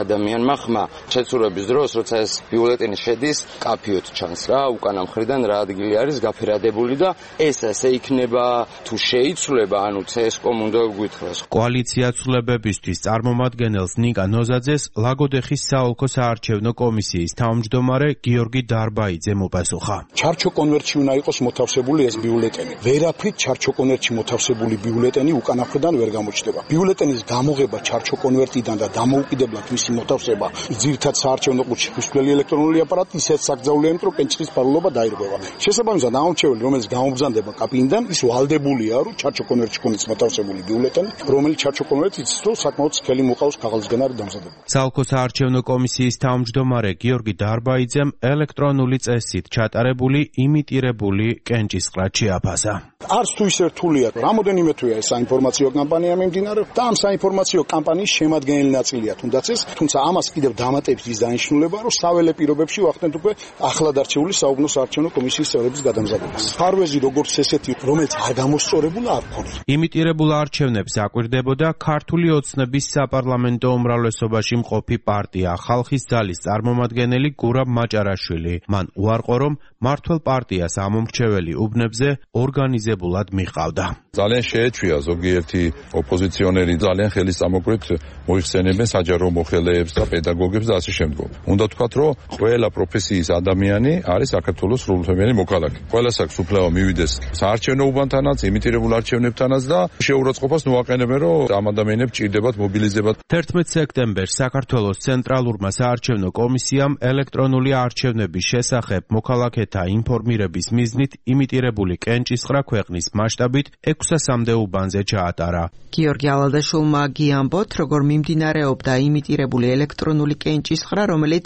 ადამიანმა ხმა. შეცურების დროს, როცა ეს ბიულეტენი შედის, კაფიოთ ჩანს რა, უკანა მხრიდან რა ადგილი არის გაფერადებული და ეს ასე იქნება თუ შეიცვლება, ანუ CSKOM უნდა გვითხრას. კოალიცია ცვლილებებისთვის წარმომადგენელს ნიკა ნოზაძეს ლაგოდეხის საოლქო საარჩევნო კომისიის თავმჯდომარე გიორგი დარბაიძე მოპასუხა. ჩარჩო კონვერტში უნდა იყოს მოთავსებული ეს ბიულეტენი. ვერაფრით ჩარჩო კონვერტში მოთავსებული ბიულეტენი უკანა მხრიდან ვერ გამოჩნდება. ბიულეტენის გამოღება ჩარჩო კონვერტიდან და დამოუკიდებლად მისი მოთავსება ძირითად საარჩევნო ყუთში ფისკვლელი ელექტრონული აპარატი ისეთ საკრძალულია, იმიტომ რომ პენჩხის ფარულობა დაირღვევა. შესაბამისად, ამომრჩეველი, რომელიც გამობრძანდება კაბინიდან, ის ვალდებულია, რომ ჩარჩო კონვერტში ქონდეს მოთავსებული ბიულეტენი, რომელიც ჩარჩო კონვერტიც რო საკმაოდ სქელი მოყავს ქაღალდისგან არის დამზადებული. საოლქო საარჩევნო კომისიის თავმჯდომარე გიორგი დარბაიძემ ელექტრონული წესით ჩატარებული იმიტირებული კენჭისყრა შეაფასა. არც თუ ისე რთულია, რამოდენიმე თვეა ეს საინფორმაციო კამპანია მიმდინარეობს და ამ საინფორმაციო კამპანიის შემადგენელი ნაწილია თუნდაც ეს, თუმცა ამას კიდევ დამატებს ის დანიშნულება, რომ საველე პირობებში ვახდენთ უკვე ახლად არჩეული საუბნო საარჩევნო კომისიის წევრების გადამზადებას. ხარვეზი როგორც ესეთი, რომელიც არ გამოსწორებულა არ ქონია. იმიტირებულ არჩევნებს აკვირდებოდა ქართული ოცნების საპარლამენტო უმრავლესობაში მყოფი პარტია ხალხის ძალის წარმომადგენელი გურამ მაჭარაშვილი. მან უარყო, რომ მართლ პარტიას ამომრჩეველი უბნებზე ორგანიზებულად მიჰყავდა. ძალიან შეეჩვია ზოგიერთი ოპოზიციონერი ძალიან ხელისამოკლედ მოიხსენებენ საჯარო მოხელეებს და პედაგოგებს და ასე შემდგომ. უნდა ვთქვათ, რომ ყველა პროფესიის ადამიანი არის საქართველოს სრულუფლებიანი მოქალაქე. ყველას აქვს უფლება მივიდეს საარჩევნო უბანთანაც, იმიტირებულ არჩევნებთანაც და შეურაცხყოფას მოაყენებენ, რომ ამ ადამიანებს ჭირდებათ მობილიზებათ. 11 სექტემბერს საქართველოს ცენტრალურმა საარჩევნო კომისიამ ელექტრონული არჩევნების შესახებ მოქალაქეთა ინფორმირების მიზნით იმიტირებული კენჭისყრა ქვეყნის მასშტაბით 600-მდე უბანზე ჩაატარა. გიორგი ალადაშვილმა გიამბოთ, როგორ მიმდინარეობდა იმიტირებული ელექტრონული კენჭისყრა, რომელიც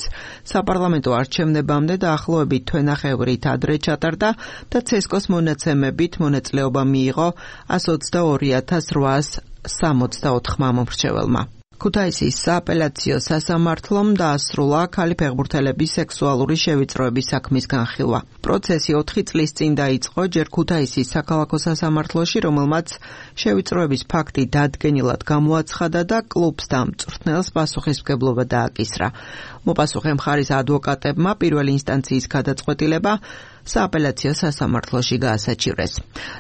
საპარლამენტო არჩევნებამდე დაახლოებით თვენახევრით ადრე ჩატარდა და CSKOS მონაცემებით მონაწილეობა მიიღო 122,864 მომრჩეველმა. ქუთაისის სააპელაციო სასამართლომ დაასრულა ქალი ფეხბურთელების სექსუალური შევიწროების საქმის განხილვა. პროცესი 4 წლის წინ დაიწყო ჯერ ქუთაისის საქალაქო სასამართლოში, რომელმაც შევიწროების ფაქტი დადგენილად გამოაცხადა და კლუბს და მწვრთნელს პასუხისმგებლობა დააკისრა. მოპასუხე მხარის ადვოკატებმა პირველი ინსტანციის გადაწყვეტილება სააპელაციო სასამართლოში გაასაჩივრეს.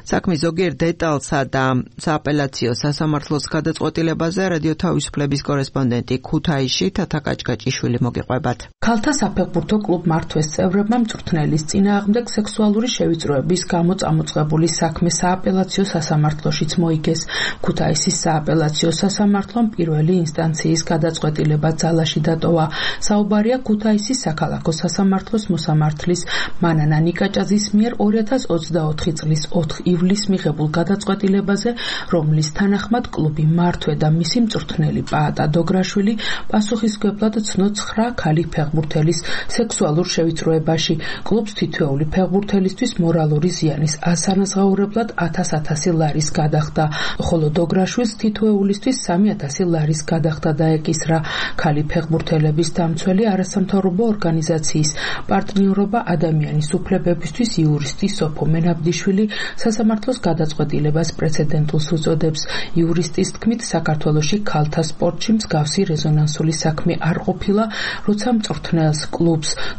საქმის ზოგიერთ დეტალსა და სააპელაციო სასამართლოს გადაწყვეტილებაზე რადიო თავისუფლების კორესპონდენტი ქუთაისში თათა კაჭკაჭიშვილი მოგიყვებათ. ქალთა საფეხბურთო კლუბ მართვეს წევრებმა მწვრთნელის წინააღმდეგ სექსუალური შევიწროების გამო წამოწყებული საქმე სააპელაციო სასამართლოშიც მოიგეს. ქუთაისის სააპელაციო სასამართლომ პირველი ინსტანციის გადაწყვეტილება ძალაში დატოვა. საუბარია ქუთაისის საქალაქო სასამართლოს მოსამართლის მანანა ნიკაჭაძის მიერ 2024 წლის 4 ივლისს მიღებულ გადაწყვეტილებაზე, რომლის თანახმად კლუბი მართვე და მისი მწვრთნელი პაატა დოგრაშვილი პასუხისმგებლად ცნო 9 ქალი ფეხბურთელის სექსუალურ შევიწროებაში. კლუბს თითოეული ფეხბურთელისთვის მორალური ზიანის ასანაზღაურებლად 1000 ლარის გადახდა, ხოლო დოგრაშვილს თითოეულისთვის 3000 ლარის გადახდა დაეკისრა. ქალი ფეხბურთელების დამცველი არასამთავრობო ორგანიზაციის პარტნიორობა ადამიანის უფლებათა უფლებებისთვის იურისტი სოფო მენაბდიშვილი სასამართლოს გადაწყვეტილებას პრეცედენტულს უწოდებს. იურისტის თქმით, საქართველოში ქალთა სპორტში მსგავსი რეზონანსული საქმე არ ყოფილა, როცა მწვრთნელს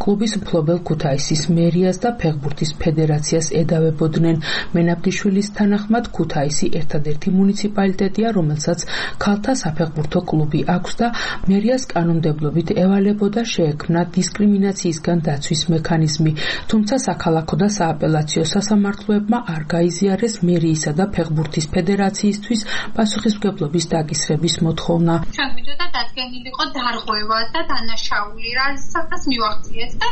კლუბის მფლობელ ქუთაისის მერიას და ფეხბურთის ფედერაციას ედავებოდნენ. მენაბდიშვილის თანახმად ქუთაისი ერთადერთი მუნიციპალიტეტია, რომელსაც ქალთა საფეხბურთო კლუბი აქვს და მერიას კანონმდებლობით ევალებოდა შეექმნა დისკრიმინაციისგან დაცვის მექანიზმი, თუმცა საქალაქო და სააპელაციო სასამართლოებმა არ გაიზიარეს მერიისა და ფეხბურთის ფედერაციისთვის პასუხისმგებლობის დაკისრების მოთხოვნა. ჩვენ გვინდოდა დადგენილიყო დარღვევა და დანაშაული, რასაც მივახციეთ და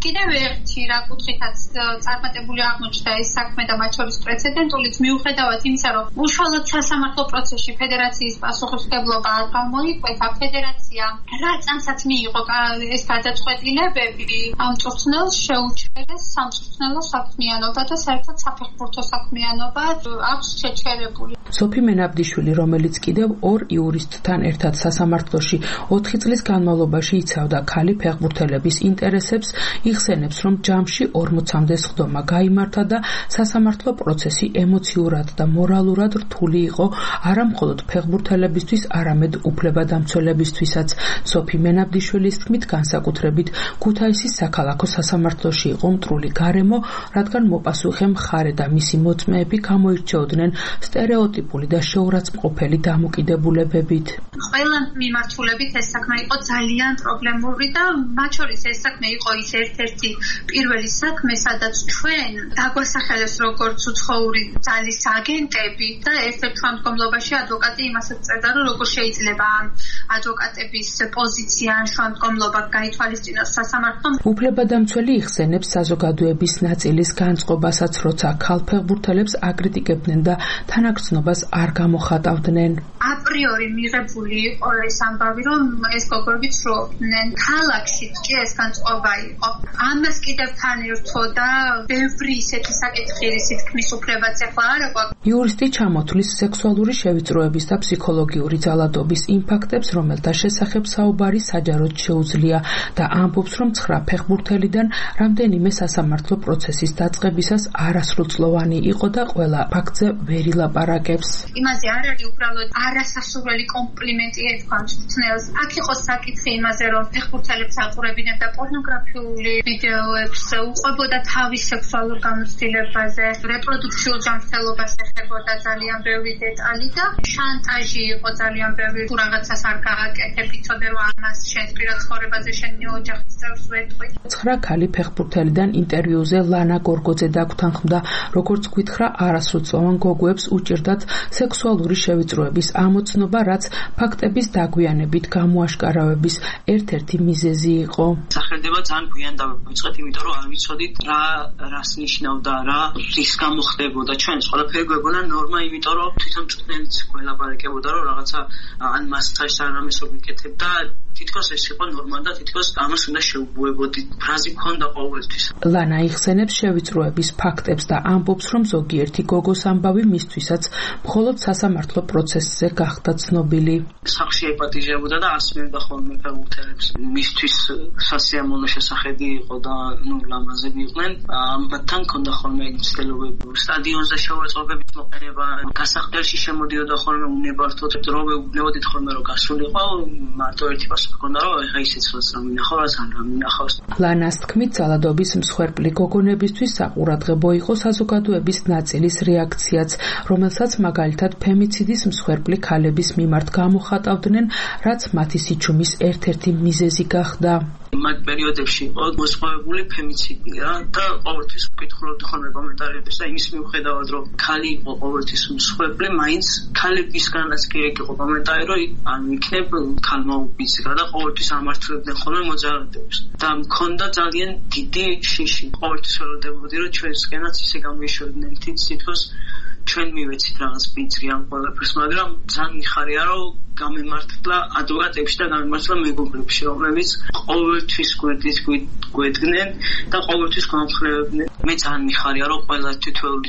კიდევ ერთი რა კუთხითაც წარმატებული აღმოჩნდა ეს საქმე და მათ შორის პრეცედენტულიც მიუხედავად იმისა, რომ უშუალოდ სასამართლო პროცესში ფედერაციის პასუხისმგებლობა არ გამოიკვეთა, ფედერაცია რა წამსაც მიიღო ეს გადაწყვეტილებები, ამ მწვრთნელს შეუჩერეს სამწვრთნელო საქმიანობა და საერთოდ საფეხბურთო საქმიანობა აქვს შეჩერებული. სოფი მენაბდიშვილი, რომელიც კიდევ ორ იურისტთან ერთად სასამართლოში 4 წლის განმავლობაში იცავდა ქალი ფეხბურთელების ინტერესებს, იხსენებს, რომ ჯამში 40-მდე სხდომა გაიმართა და სასამართლო პროცესი ემოციურად და მორალურად რთული იყო არა მხოლოდ ფეხბურთელებისთვის, არამედ უფლებადამცველებისთვისაც. სოფი მენაბდიშვილის თქმით, განსაკუთრებით ქუთაისის საქალაქო სასამართლოში იყო მტრული გარემო, რადგან მოპასუხე მხარე და მისი მოწმეები გამოირჩეოდნენ სტერეოტიპული და შეურაცხმყოფელი დამოკიდებულებებით. ყველა მიმართულებით ეს საქმე იყო ძალიან პრობლემური და მათ შორის ეს საქმე იყო ის ერთ-ერთი პირველი საქმე, სადაც ჩვენ დაგვასახელეს როგორც უცხოური ძალის აგენტები და ერთ-ერთ შემდგომლობაში ადვოკატი იმასაც წერდა, რომ როგორ შეიძლება ამ ადვოკატების პოზიცია ან შემდგომლობა გაითვალისწინოს სასამართლომ. უფლებადამცველი იხსენებს საზოგადოების ნაწილის განწყობასაც, როცა ქალ ფეხბურთელებს აკრიტიკებდნენ და თანაგრძნობას არ გამოხატავდნენ. აპრიორი მიღებული იყო ეს ამბავი, რომ ეს გოგოები ცრუობდნენ. ქალაქშიც კი ეს განწყობა იყო. ამას კიდევ თან ერთოდა ბევრი ისეთი საკითხი, რისი თქმის უფლებაც ახლა არ აქვს. იურისტი ჩამოთვლის სექსუალური შევიწროების და ფსიქოლოგიური ძალადობის იმ ფაქტებს, რომელთა შესახებ საუბარი საჯაროდ შეუძლია და ამბობს, რომ 9 ფეხბურთელიდან რამდენიმე სასამართლო პროცესის დაწყებისას არასრულწლოვანი იყო და ყველა ფაქტზე ვერ ილაპარაკებს. იმაზე არ არის უბრალოდ არასასურველი კომპლიმენტი ეთქვა მწვრთნელს. აქ იყო საკითხი იმაზე, რომ ფეხბურთელებს აყურებინებდა პორნოგრაფიული ვიდეოებს, უყვებოდა თავის სექსუალურ გამოცდილებაზე, რეპროდუქციულ ჯანმრთელობას ეხებოდა ძალიან ბევრი დეტალი და შანტაჟი იყო ძალიან ბევრი. თუ რაღაცას არ გააკეთებ, იცოდე რომ ამას შენს პირად ცხოვრებაზე შენი ოჯახის წევრს ვეთყვი. 9 ქალი ფეხბურთელიდან ინტერვიუზე ლანა გორგოძე დაგვრთანხმდა, როგორც გითხრა, არასრულწლოვან გოგოებს უჭირდათ სექსუალური შევიწროების ამოცნობა, რაც ფაქტების დაგვიანებით გამოაშკარავების ერთ-ერთი მიზეზი იყო. სახელდება ძალიან გვიან დავიწყეთ, იმიტომ რომ არ ვიცოდით რას ნიშნავდა, რის გამო ხდებოდა. ჩვენს ყველაფერი გვეგონა ნორმა, იმიტომ რომ თვითონ მწვრთნელიც გველაპარაკებოდა, რომ რაღაცა ან მასაჟს არ ამესო გიკეთებდა. თითქოს ეს იყო ნორმა და თითქოს ამას უნდა შეუბუებოდით. ფრაზი ქონდა ყოველთვის. ლანა იხსენებს შევიწროების ფაქტებს და ამბობს, რომ ზოგიერთი გოგოს ამბავი მისთვისაც მხოლოდ სასამართლო პროცესზე გახდა ცნობილი. სახლში ეპატიჟებოდა და ასმევდა ხოლმე ფეხბურთელებს. მისთვის სასიამოვნო შესახედი იყო და ლამაზები იყვნენ. მათთან ქონდა ხოლმე ცდილობები სტადიონზე შეურაცხყოფების მოყენება, გასახდელში შემოდიოდა ხოლმე უნებართოდ, რომ ვნებოდით ხოლმე რომ გასულიყო, მარტო ერთი პასუხი ჰქონდა, რომ ეხა ისიც რომ მინახავს ან რა მინახავს. ლანას თქმით, ძალადობის მსხვერპლი გოგონებისთვის საყურადღებო იყო საზოგადოების ნაწილის რეაქციაც, რომელსაც მაგალითად ფემიციდის მსხვერპლი ქალების მიმართ გამოხატავდნენ, რაც მათი სიჩუმის ერთ-ერთი მიზეზი გახდა. მაგ პერიოდებში იყო მოსწავლებული ფემიციდი და ყოველთვის ვკითხულობდი ხოლმე კომენტარებს და იმის მიუხედავად რომ ქალი იყო ყოველთვის მსხვერპლი, მაინც ქალებისგანაც კი იყო კომენტარი, რომ ან იქნებ ქალმა უბიძგა და ყოველთვის ამართლებდნენ ხოლმე მოძალადებს და მქონდა ძალიან დიდი შიში. ყოველთვის ველოდებოდი რომ ჩვენსკენაც ისე გამოიშვებდნენ თითქოს ჩვენ მივეცით რაღაც ბიძგი ამ ყველაფერს, მაგრამ ძალიან მიხარია რომ გამემართლა ადვოკატებში და გამემართლა მეგობრებში, რომლებიც ყოველთვის გვერდით გვედგნენ და ყოველთვის გვამხნევებდნენ. მე ძალიან მიხარია რომ ყველა თითოეული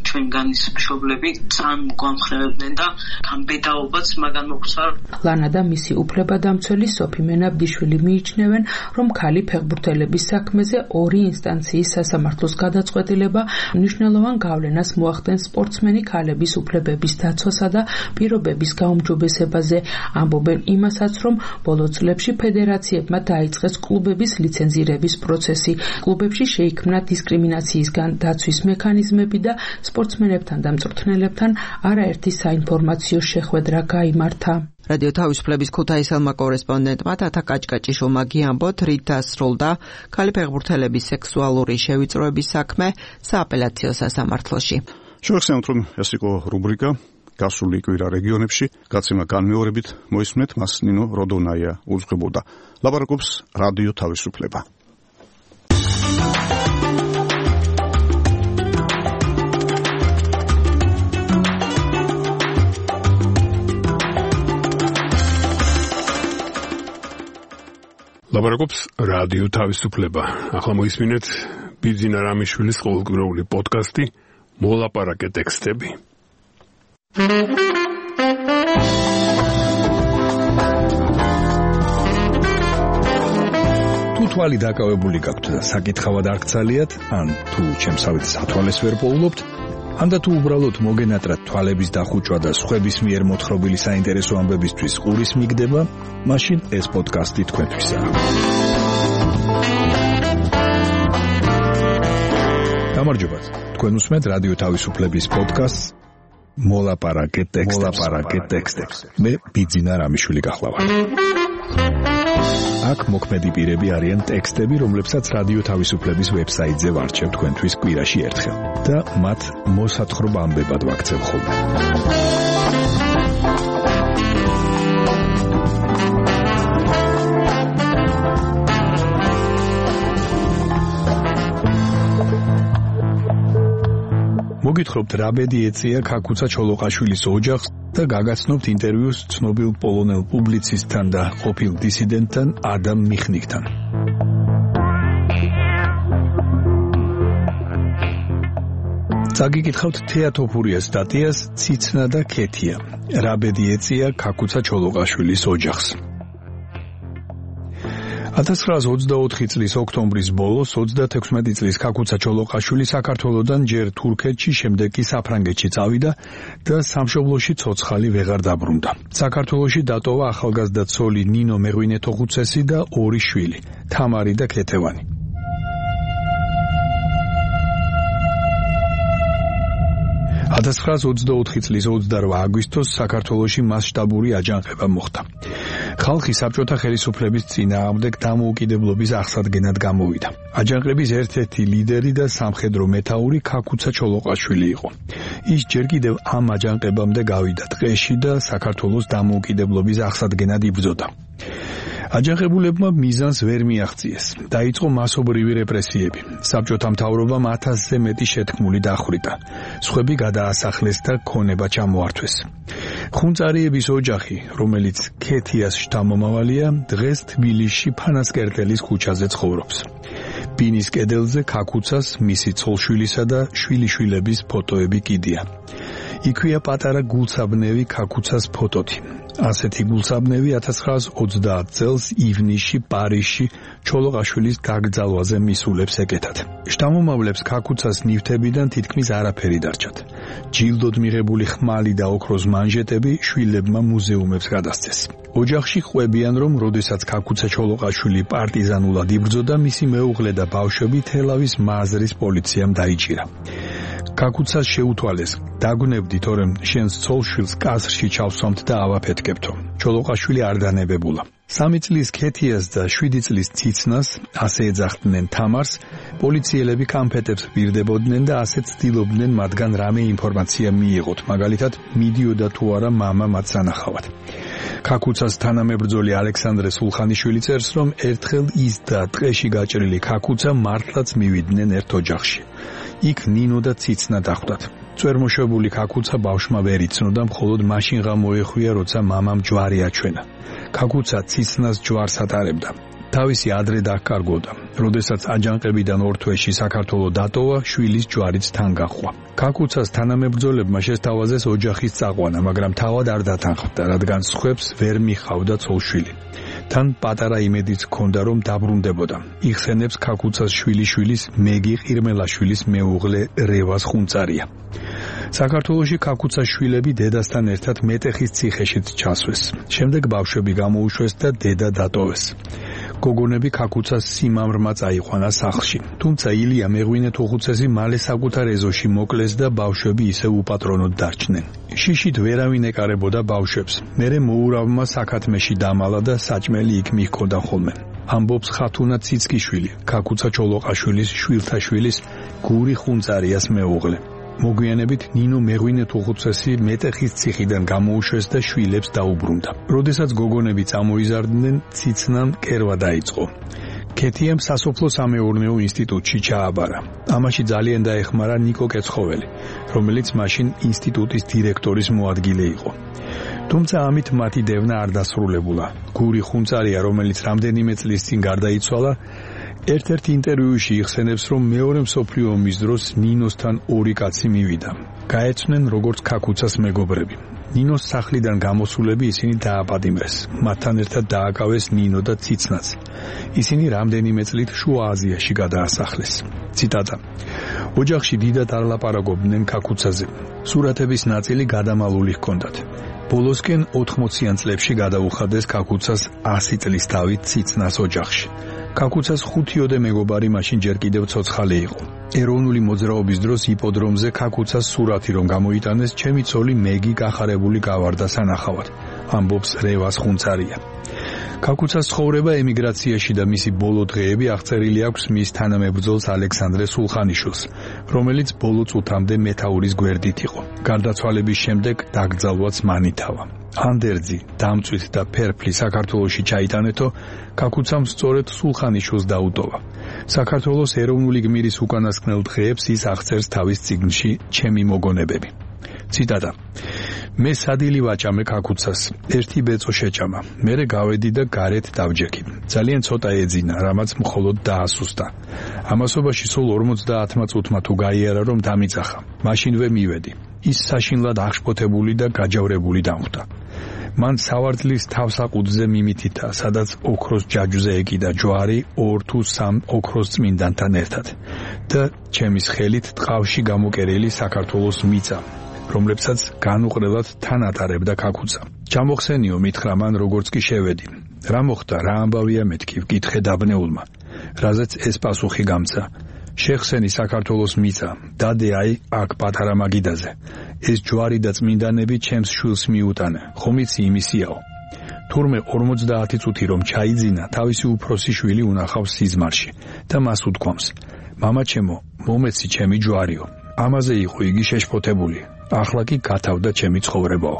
ჩვენგანის მშობლები ძალიან გვამხრევდნენ და გამბედაობაც მაგან მოგვცა. ლანა და მისი უფლებადამცველი სოფი მენაბდიშვილი მიიჩნევენ, რომ ქალი ფეხბურთელების საქმეზე ორი ინსტანციის სასამართლოს გადაწყვეტილება მნიშვნელოვან გავლენას მოახდენს სპორტსმენი ქალების უფლებების დაცვასა და პირობების გაუმჯობესებაზე. ამბობენ იმასაც, რომ ბოლო წლებში ფედერაციებმა დაიწყეს კლუბების ლიცენზირების პროცესი. კლუბებში შეიქმნა დისკრიმინაციისგან დაცვის მექანიზმები და სპორტსმენებთან და მწვრთნელებთან არაერთი საინფორმაციო შეხვედრა გაიმართა. რადიო თავისუფლების ქუთაისელმა კორესპონდენტმა თათა კაჭკაჭიშვილმა გიამბოთ, რით დასრულდა ქალი ფეხბურთელების სექსუალური შევიწროების საქმე სააპელაციო სასამართლოში. შევახსენოთ, რომ ეს იყო რუბრიკა გასული კვირა რეგიონებში, გაცემა განმეორებით მოისმენთ, მას ნინო როდონაია უძღვებოდა. ლაპარაკობს რადიო თავისუფლება. ლაპარაკობს რადიო თავისუფლება. ახლა მოისმინეთ ბიძინა რამიშვილის ყოველკვირეული პოდკასტი მოლაპარაკე ტექსტები. თუ თვალი დაკავებული გაქვთ და საკითხავად არ გცალიათ, ან თუ ჩემსავით სათვალეს ვერ პოულობთ, ან და თუ უბრალოდ მოგენატრათ თვალების დახუჭვა და სხვების მიერ მოთხრობილი საინტერესო ამბებისთვის ყურის მიგდება, მაშინ ეს პოდკასტი თქვენთვისაა. გამარჯობათ. თქვენ უსმენთ რადიო თავისუფლების პოდკასტს მოლაპარაკე ტექსტებს. მე ბიძინა რამიშვილი გახლავართ. აქ მოქმედი პირები არიან ტექსტები, რომლებსაც რადიო თავისუფლების ვებსაიტზე ვარჩევ თქვენთვის კვირაში ერთხელ და მათ მოსათხრობ ამბებად ვაქცევ ხოლმე. მოგითხრობთ რა ბედი ეწია ქაქუცა ჩოლოყაშვილის ოჯახს და გაგაცნობთ ინტერვიუს ცნობილ პოლონელ პუბლიცისტთან და ყოფილ დისიდენტთან ადამ მიხნიკთან. წაგიკითხავთ თეატოფურიას სტატიას ციცნა და ქეთია. რა ბედი ეწია ქაქუცა ჩოლოყაშვილის ოჯახს. 1924 წლის ოქტომბრის ბოლოს 36 წლის ქაქუცა ჩოლოყაშვილი საქართველოდან ჯერ თურქეთში, შემდეგ კი საფრანგეთში წავიდა და სამშობლოში ცოცხალი ვეღარ დაბრუნდა. საქართველოში დატოვა ახალგაზრდა ცოლი ნინო მეღვინეთოხუცესი და ორი შვილი, თამარი და ქეთევანი. – 1924 წლის 28 აგვისტოს საქართველოში მასშტაბური აჯანყება მოხდა. ხალხი საბჭოთა ხელისუფლების წინააღმდეგ დამოუკიდებლობის აღსადგენად გამოვიდა. აჯანყების ერთ-ერთი ლიდერი და სამხედრო მეთაური ქაქუცა ჩოლოყაშვილი იყო. ის ჯერ კიდევ ამ აჯანყებამდე გავიდა ტყეში და საქართველოს დამოუკიდებლობის აღსადგენად იბრძოდა. აჯანყებულებმა მიზანს ვერ მიაღწიეს. დაიწყო მასობრივი რეპრესიები. საბჭოთა მთავრობამ 1000-ზე მეტი შეთქმული დახვრიტა. სხვები გადაასახლეს და ქონება ჩამოართვეს. ხუნწარიების ოჯახი, რომელიც ქეთიას შთამომავალია, დღეს თბილისში ფანასკერტელის ქუჩაზე ცხოვრობს. ბინის კედელზე ქაქუცას, მისი ცოლშვილისა და შვილიშვილების ფოტოები კიდია. იქვეა პატარა გულსაბნევი ქაქუცას ფოტოთი. ასეთი გულსაბნევი 1930 წელს ივნისში პარიზში ჩოლოყაშვილის გაგრძალვაზე მისულებს ეკეთათ. შთამომავლებს ქაქუცას ნივთებიდან თითქმის არაფერი დარჩათ. ჯილდოდ მიღებული ხმალი და ოქროს მანჟეტები შვილებმა მუზეუმებს გადასცეს. ოჯახში ყვებიან, რომ როდესაც ქაქუცა ჩოლოყაშვილი პარტიზანულად იბრძოდა, მისი მეუღლე და ბავშვები თელავის მაზრის პოლიციამ დაიჭირა. ქაქუცას შეუთვალეს, დაგვნებდი, თორემ შენს ცოლშვილს კასრში ჩავსვამთ და ავაფეთქებთო. ჩოლოყაშვილი არ დანებებულა. 3 წლის ქეთიას და 7 წლის ციცნას, ასე ეძახდნენ თამარს, პოლიციელები კამფეტებს პირდებოდნენ და ასე ცდილობდნენ მათგან რამე ინფორმაცია მიიღოთ, მაგალითად, მიდიოდა თუ არა მამა მათ სანახავად. ქაქუცას თანამებრძოლი ალექსანდრე სულხანიშვილი წერს, რომ ერთხელ ის და ტყეში გაჭრილი ქაქუცა მართლაც მივიდნენ ერთ ოჯახში. იქ ნინო და ციცნა დახვდათ. წვერმოშვებული ქაქუცა ბავშვმა ვერ იცნოდა, მხოლოდ მაშინ ღამოეხვია, როცა მამამ ჯვარი აჩვენა. ქაქუცა ციცნას ჯვარს ატარებდა. თავისი ადრე დაკარგოდა. როდესაც აჯანყებიდან ორ თვეში საქართველოს დატოვა, შვილის ჯვარიც თან გაჰყვა. ქაქუცას თანამებრძოლებმა შესთავაზეს ოჯახის წაყვანა, მაგრამ თავად არ დათანხმდა, რადგან სხვებს ვერ მიხავდა ცოლ-შვილი. თან პატარა იმედიც ჰქონდა, რომ დაბრუნდებოდა. იხსენებს ქაქუცას შვილიშვილის მეგი ყირმელაშვილის მეუღლე რევას ხუნწარია. საქართველოში ქაქუცას შვილები დედასთან ერთად მეტეხის ციხეშიც ჩასვეს. შემდეგ ბავშვები გამოუშვეს და დედა დატოვეს. გოგონები ქაქუცას სიმამრმა წაიყვანა სახლში. თუმცა ილია მეღვინე თუხუცესი მალე საკუთარ ეზოში მოკლეს და ბავშვები ისევ უპატრონოდ დარჩნენ. შიშით ვერავინ ეკარებოდა ბავშვებს. მერე მოურავმა საქათმეში დამალა და საჭმელი იქ მიჰქონდა ხოლმე. ამბობს ხათუნა ციცკიშვილი, ქაქუცა ჩოლოყაშვილის შვილთაშვილის გური ხუნწარიას მეუღლე. მოგვიანებით ნინო მეღვინე თუხუცესი მეტეხის ციხიდან გამოუშვეს და შვილებს დაუბრუნდა. როდესაც გოგონები წამოიზარდნენ, ციცნამ კერვა დაიწყო. ქეთიამ სასოფლო სამეურნეო ინსტიტუტში ჩააბარა. ამაში ძალიან დაეხმარა ნიკო კეცხოველი, რომელიც მაშინ ინსტიტუტის დირექტორის მოადგილე იყო. თუმცა ამით მათი დევნა არ დასრულებულა. გური ხუნწარია, რომელიც რამდენიმე წლის წინ გარდაიცვალა, ერთ-ერთ ინტერვიუში იხსენებს, რომ მეორე მსოფლიო ომის დროს ნინოსთან ორი კაცი მივიდა. გაეცნენ როგორც ქაქუცას მეგობრები. ნინოს სახლიდან გამოსულები ისინი დააპატიმრეს. მათთან ერთად დააკავეს ნინო და ციცნაც. ისინი რამდენიმე წლით შუა აზიაში გადაასახლეს. ციტატა: ოჯახში დიდად არ ლაპარაკობდნენ ქაქუცაზე. სურათების ნაწილი გადამალული ჰქონდათ. ბოლოსკენ 80-იან წლებში გადაუხადეს ქაქუცას 100 წლის დავით ციცნას ოჯახში. ქაქუცას 5-ოდე მეგობარი მაშინ ჯერ კიდევ ცოცხალი იყო. ეროვნული მოძრაობის დროს იპოდრომზე ქაქუცას სურათი რომ გამოიტანეს, ჩემი ცოლი მეგი გახარებული გავარდა სანახავად, ამბობს რევას ხუნწარია. ქაქუცას ცხოვრება ემიგრაციაში და მისი ბოლო დღეები აღწერილი აქვს მის თანამებრძოლს ალექსანდრე სულხანიშვილს, რომელიც ბოლო წუთამდე მეთაურის გვერდით იყო. გარდაცვალების შემდეგ დაკრძალვაც მან ითავა. ანდერძი, დამწვით და ფერფლი საქართველოში ჩაიტანეთო, ქაქუცამ სწორედ სულხანიშვილს დაუტოვა. საქართველოს ეროვნული გმირის უკანასკნელ დღეებს ის აღწერს თავის წიგნში ჩემი მოგონებები. ციტატა: მე სადილი ვაჭამე ქაქუცას, ერთი ბეწო შეჭამა, მერე გავედი და გარეთ დავჯექი. ძალიან ცოტა ეძინა, რამაც მხოლოდ დაასუსტა. ამასობაში სულ 50 წუთმა თუ გაიარა, რომ დამიწახა. მაშინვე მივედი. ის საშინლად აღშფოთებული და გაჯავრებული დამხვდა. მან სავარდლის თავსაყუდზე მიმითითა, სადაც ოქროს ჯაჯუზე ეკიდა ჯვარი 2 თუ 3 ოქროს წმინდანთან ერთად და ჩემის ხელით ტყავში გამოკერილი საქართველოს მიწა, რომლებსაც განუყრელად თან ატარებდა ქაქუცა. ჩამოხსენიო, მითხრა მან, როგორც კი შევედი. რა მოხდა, რა ამბავია მეთქი, ვკითხე დაბნეულმა. რაზეც ეს პასუხი გამცა: შეხსენი საქართველოს მიწა, დადე აი აქ პატარა მაგიდაზე. ეს ჯვარი და წმინდანები ჩემს შვილს მიუტანა, ხომ იცი იმისიაო. თურმე 50 წუთი რომ ჩაიძინა, თავისი უფროსი შვილი უნახავს სიზმარში და მას უთქვამს: მამაჩემო, მომეცი ჩემი ჯვარიო. ამაზე იყო იგი შეშფოთებული. ახლა კი გათავდა ჩემი ცხოვრებაო.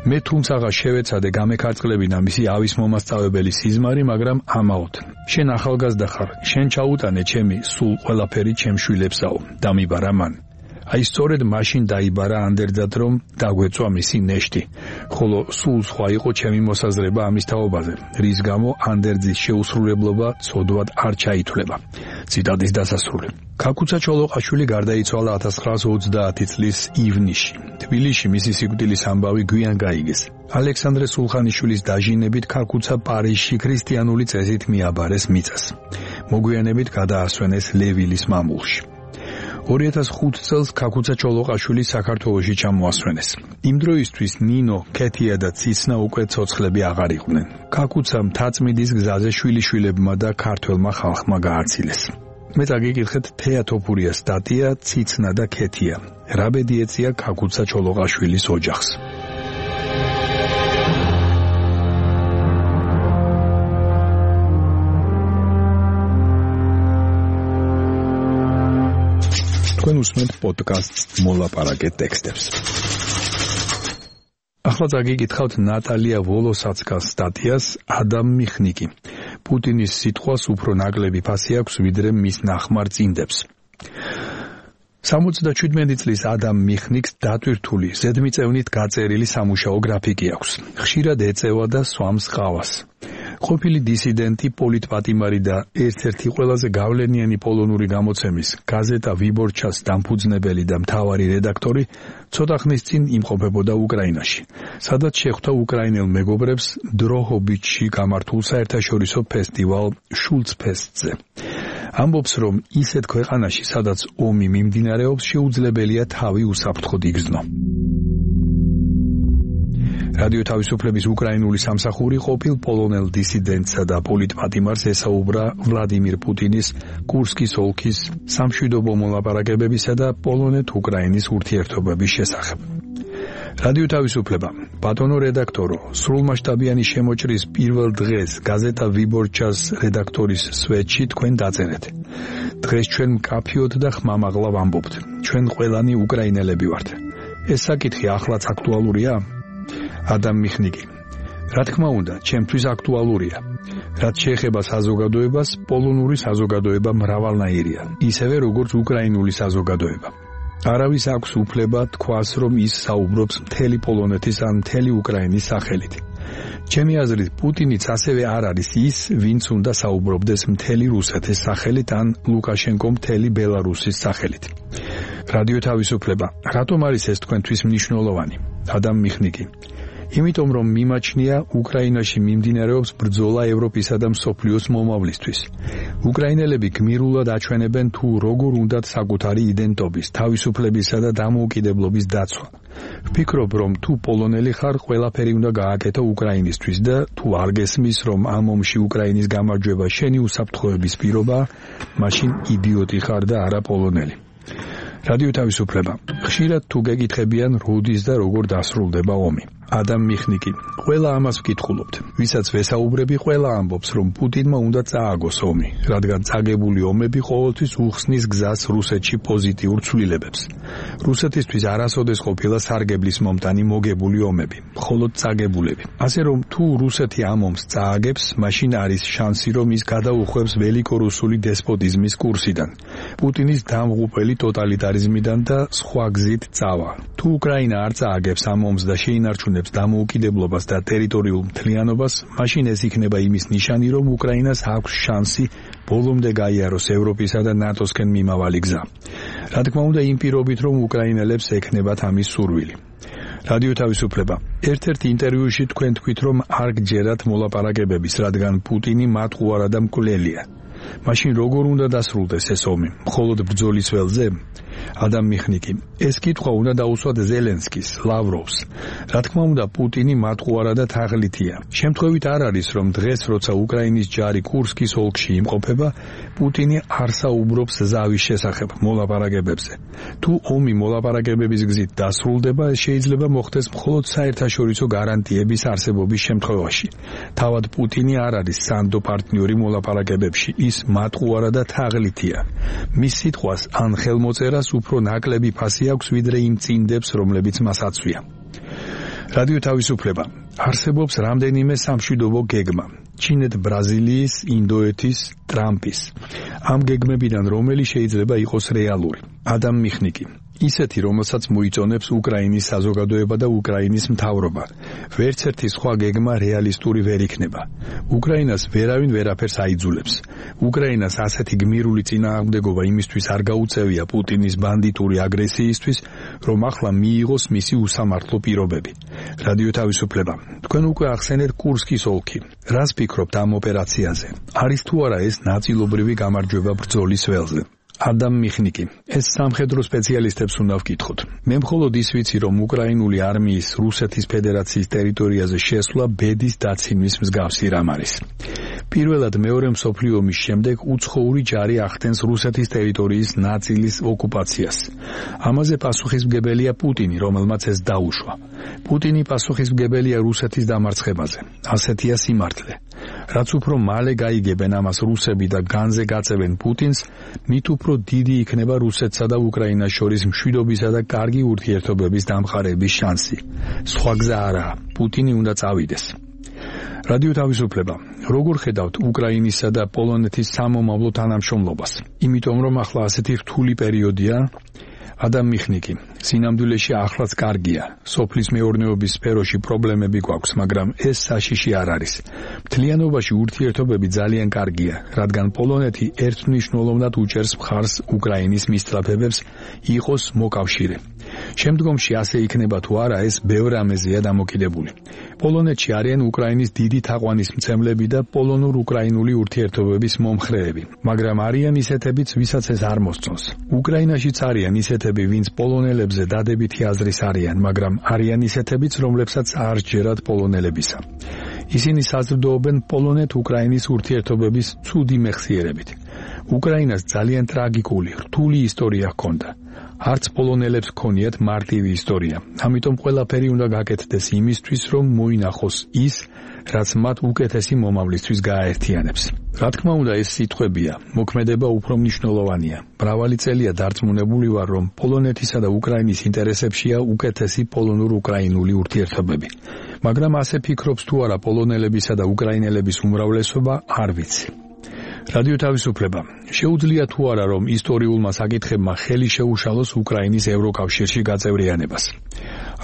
მე თუმცაღა შევეცადე გამეკარწყლებინა მისი ავის მომასწავებელი სიზმარი, მაგრამ ამაოდ. შენ ახალგაზრდა ხარ, შენ ჩაუტანე ჩემი სულ ყველაფერი ჩემ შვილებსაო, დამიბარა მან. აი სწორედ მაშინ დაიბარა ანდერძად, რომ დაგვეწვა მისი ნეშტი, ხოლო სულ სხვა იყო ჩემი მოსაზრება ამის თაობაზე, რის გამო ანდერძის შეუსრულებლობა ცოდვად არ ჩაითვლება. ციტატის დასასრული. ქაქუცა ჩოლოყაშვილი გარდაიცვალა 1930 წლის ივნისში. თბილისში მისი სიკვდილის ამბავი გვიან გაიგეს. ალექსანდრე სულხანიშვილის დაჟინებით ქაქუცა პარიზში ქრისტიანული წესით მიაბარეს მიწას. მოგვიანებით გადაასვენეს ლევილის მამულში. 2005 წელს ქაქუცა ჩოლოყაშვილი საქართველოში ჩამოასვენეს. იმ დროისთვის ნინო, ქეთია და ციცნა უკვე ცოცხლები აღარ იყვნენ. ქაქუცა მთაწმინდის გზაზე შვილიშვილებმა და ქართველმა ხალხმა გააცილეს. მე წაგიკითხეთ თეატოფურიას სტატია ციცნა და ქეთია. რა ბედი ეწია ქაქუცა ჩოლოყაშვილის ოჯახს. თქვენ უსმენთ პოდკასტს მოლაპარაკე ტექსტებს. ახლა წაგიკითხავთ ნატალია ვოლოსაცკას სტატიას ადამ მიხნიკი. პუტინის სიტყვას უფრო ნაკლები ფასი აქვს ვიდრე მის ნახმარ წინდებს. 77 წლის ადამ მიხნიკს დატვირთული, ზედმიწევნით გაწერილი სამუშაო გრაფიკი აქვს. ხშირად ეწევა და სვამს ყავას. ყოფილი დისიდენტი, პოლიტპატიმარი და ერთ-ერთი ყველაზე გავლენიანი პოლონური გამოცემის გაზეტა ვიბორჩას დამფუძნებელი და მთავარი რედაქტორი ცოტა ხნის წინ იმყოფებოდა უკრაინაში, სადაც შეხვდა უკრაინელ მეგობრებს დროჰობიჩში გამართულ საერთაშორისო ფესტივალ შულცფესტზე. ამბობს, რომ ისეთ ქვეყანაში, სადაც ომი მიმდინარეობს, შეუძლებელია თავი უსაფრთხოდ იგრძნო. რადიო თავისუფლების უკრაინული სამსახური ყოფილ პოლონელ დისიდენტსა და პოლიტპატიმარს ესაუბრა ვლადიმირ პუტინის კურსკის ოლქის სამშვიდობო მოლაპარაკებებისა და პოლონეთ-უკრაინის ურთიერთობების შესახებ. რადიო თავისუფლება, ბატონო რედაქტორო, სრულმასშტაბიანი შემოჭრის პირველ დღეს გაზეტა ვიბორჩას რედაქტორის სვეტში თქვენ დაწერეთ. დღეს ჩვენ მკაფიოდ და ხმამაღლა ვამბობთ. ჩვენ ყველანი უკრაინელები ვართ. ეს საკითხი ახლაც აქტუალურია? ადამ მიხნიკი. რა თქმა უნდა, ჩემთვის აქტუალურია. რაც შეეხება საზოგადოებას, პოლონური საზოგადოება მრავალნაირია, ისევე როგორც უკრაინული საზოგადოება. არავის აქვს უფლება თქვას, რომ ის საუბრობს მთელი პოლონეთის ან მთელი უკრაინის სახელით. ჩემი აზრით, პუტინიც ასევე არ არის ის, ვინც უნდა საუბრობდეს მთელი რუსეთის სახელით ან ლუკაშენკო მთელი ბელარუსის სახელით. რადიო თავისუფლება, რატომ არის ეს თქვენთვის მნიშვნელოვანი? ადამ მიხნიკი. იმიტომ რომ მიმაჩნია უკრაინაში მიმდინარეობს ბრძოლა ევროპისა და მსოფლიოს მომავლისთვის. უკრაინელები გმირულად აჩვენებენ თუ როგორ უნდათ საკუთარი იდენტობის, თავისუფლებისა და დამოუკიდებლობის დაცვა. ვფიქრობ, რომ თუ პოლონელი ხარ, ყველაფერი უნდა გააკეთო უკრაინისთვის და თუ არ გესმის, რომ ამ ომში უკრაინის გამარჯვება შენი უსაფრთხოების პირობაა, მაშინ იდიოტი ხარ და არა პოლონელი. რადიო თავისუფლება. ხშირად თუ გეკითხებიან, როდის და როგორ დასრულდება ომი. ადამ მიხნიკი. ყველა ამას ვკითხულობთ. ვისაც ვესაუბრები, ყველა ამბობს, რომ პუტინმა უნდა წააგოს ომი, რადგან წაგებული ომები ყოველთვის უხსნის გზას რუსეთში პოზიტიურ ცვლილებებს. რუსეთისთვის არასოდეს ყოფილა სარგებლის მომტანი მოგებული ომები, მხოლოდ წაგებულები. ასე რომ თუ რუსეთი ამ ომს წააგებს, მაშინ არის შანსი, რომ ის გადაუხვევს ველიკორუსული დესპოტიზმის კურსიდან, პუტინის დამღუპელი ტოტალიტარიზმიდან და სხვა გზით წავა. თუ უკრაინა არ წააგებს ამ ომს და შეინარჩუნებს დამოუკიდებლობას და ტერიტორიულ მთლიანობას, მაშინ ეს იქნება იმის ნიშანი, რომ უკრაინას აქვს შანსი ბოლომდე გაიაროს ევროპისა და ნატოსკენ მიმავალი გზა. რა თქმა უნდა, იმ პირობით, რომ უკრაინელებს ექნებათ ამის სურვილი. რადიო თავისუფლება. ერთ-ერთ ინტერვიუში თქვენ თქვით, რომ არ გჯერათ მოლაპარაკებების, რადგან პუტინი მათ უარა და მკვლელია. მაშინ როგორ უნდა დასრულდეს ეს ომი? მხოლოდ ბრძოლის ველზე? ადამ მიხნიკი. ეს კითხვა უნდა დაუსვათ ზელენსკის, ლავროვს. რა თქმა უნდა, პუტინი მათყუარა და თაღლითია. შემთხვევით არ არის, რომ დღეს, როცა უკრაინის ჯარი კურსკის ოლქში იმყოფება, პუტინი არ საუბრობს ზავის შესახებ მოლაპარაკებებზე. თუ ომი მოლაპარაკებების გზით დასრულდება, ეს შეიძლება მოხდეს მხოლოდ საერთაშორისო გარანტიების არსებობის შემთხვევაში. თავად პუტინი არ არის სანდო პარტნიორი მოლაპარაკებებში, ის მათყუარა და თაღლითია. მის სიტყვას ან ხელმოწერას უფრო ნაკლები ფასი აქვს, ვიდრე იმ წინდებს, რომლებიც მას აცვია. რადიო თავისუფლება. არსებობს რამდენიმე სამშვიდობო გეგმა. ჩინეთ, ბრაზილიის, ინდოეთის, ტრამპის. ამ გეგმებიდან რომელი შეიძლება იყოს რეალური? ადამ მიხნიკი. ისეთი, რომელსაც მოიწონებს უკრაინის საზოგადოება და უკრაინის მთავრობა. ვერც ერთი სხვა გეგმა რეალისტური ვერ იქნება. უკრაინას ვერავინ ვერაფერს აიძულებს. უკრაინას ასეთი გმირული წინააღმდეგობა იმისთვის არ გაუწევია პუტინის ბანდიტური აგრესიისთვის, რომ ახლა მიიღოს მისი უსამართლო პირობები. რადიო თავისუფლება. თქვენ უკვე ახსენეთ კურსკის ოლქი. რას ფიქრობთ ამ ოპერაციაზე? არის თუ არა ეს ნაწილობრივი გამარჯვება ბრძოლის ველზე? ადამ მიხნიკი. ეს სამხედრო სპეციალისტებს უნდა ვკითხოთ. მე მხოლოდ ის ვიცი, რომ უკრაინული არმიის რუსეთის ფედერაციის ტერიტორიაზე შესვლა ბედის დაცინვის მსგავსი რამ არის. პირველად მეორე მსოფლიო ომის შემდეგ უცხოური ჯარი ახდენს რუსეთის ტერიტორიის ნაწილის ოკუპაციას. ამაზე პასუხისმგებელია პუტინი, რომელმაც ეს დაუშვა. პუტინი პასუხისმგებელია რუსეთის დამარცხებაზე. ასეთია სიმართლე. რაც უფრო მალე გაიგებენ ამას რუსები და განზე გაწევენ პუტინს, მით უფრო დიდი იქნება რუსეთსა და უკრაინას შორის მშვიდობისა და კარგი ურთიერთობების დამყარების შანსი. სხვა გზა არაა, პუტინი უნდა წავიდეს. რადიო თავისუფლება. როგორ ხედავთ უკრაინისა და პოლონეთის სამომავლო თანამშრომლობას? იმიტომ რომ ახლა ასეთი რთული პერიოდია, ადამ მიხნიკი, სინამდვილეში ახლაც კარგია. სოფლის მეურნეობის სფეროში პრობლემები გვაქვს, მაგრამ ეს საშიში არ არის. მთლიანობაში ურთიერთობები ძალიან კარგია, რადგან პოლონეთი ერთმნიშვნელოვნად უჭერს მხარს უკრაინის მისწრაფებებს იყოს მოკავშირე. შემდგომში ასე იქნება თუ არა, ეს ბევრ ამეზეა დამოკიდებული. პოლონეთში არიან უკრაინის დიდი თაყვანისმცემლები და პოლონურ-უკრაინული ურთიერთობების მომხრეები, მაგრამ არიან ისეთებიც, ვისაც ეს არ მოსწონს. უკრაინაშიც არიან ისეთები, ვინც პოლონელებზე დადებითი აზრის არიან, მაგრამ არიან ისეთებიც, რომლებსაც არ სჯერათ პოლონელებისა. ისინი საზრდოობენ პოლონეთ-უკრაინის ურთიერთობების ცუდი მეხსიერებით. უკრაინას ძალიან ტრაგიკული, რთული ისტორია ჰქონდა. არც პოლონელებს ჰქონიათ მარტივი ისტორია. ამიტომ ყველაფერი უნდა გაკეთდეს იმისთვის, რომ მოინახოს ის, რაც მათ უკეთესი მომავლისთვის გააერთიანებს. რა თქმა უნდა, ეს სიტყვებია, მოქმედება უფრო მნიშვნელოვანია. მრავალი წელია დარწმუნებული ვარ, რომ პოლონეთისა და უკრაინის ინტერესებშია უკეთესი პოლონურ-უკრაინული ურთიერთობები. მაგრამ ასე ფიქრობს თუ არა პოლონელებისა და უკრაინელების უმრავლესობა, არ ვიცი. რადიო თავისუფლება. შეუძლია თუ არა, რომ ისტორიულმა საკითხებმა ხელი შეუშალოს უკრაინის ევროკავშირში გაწევრიანებას.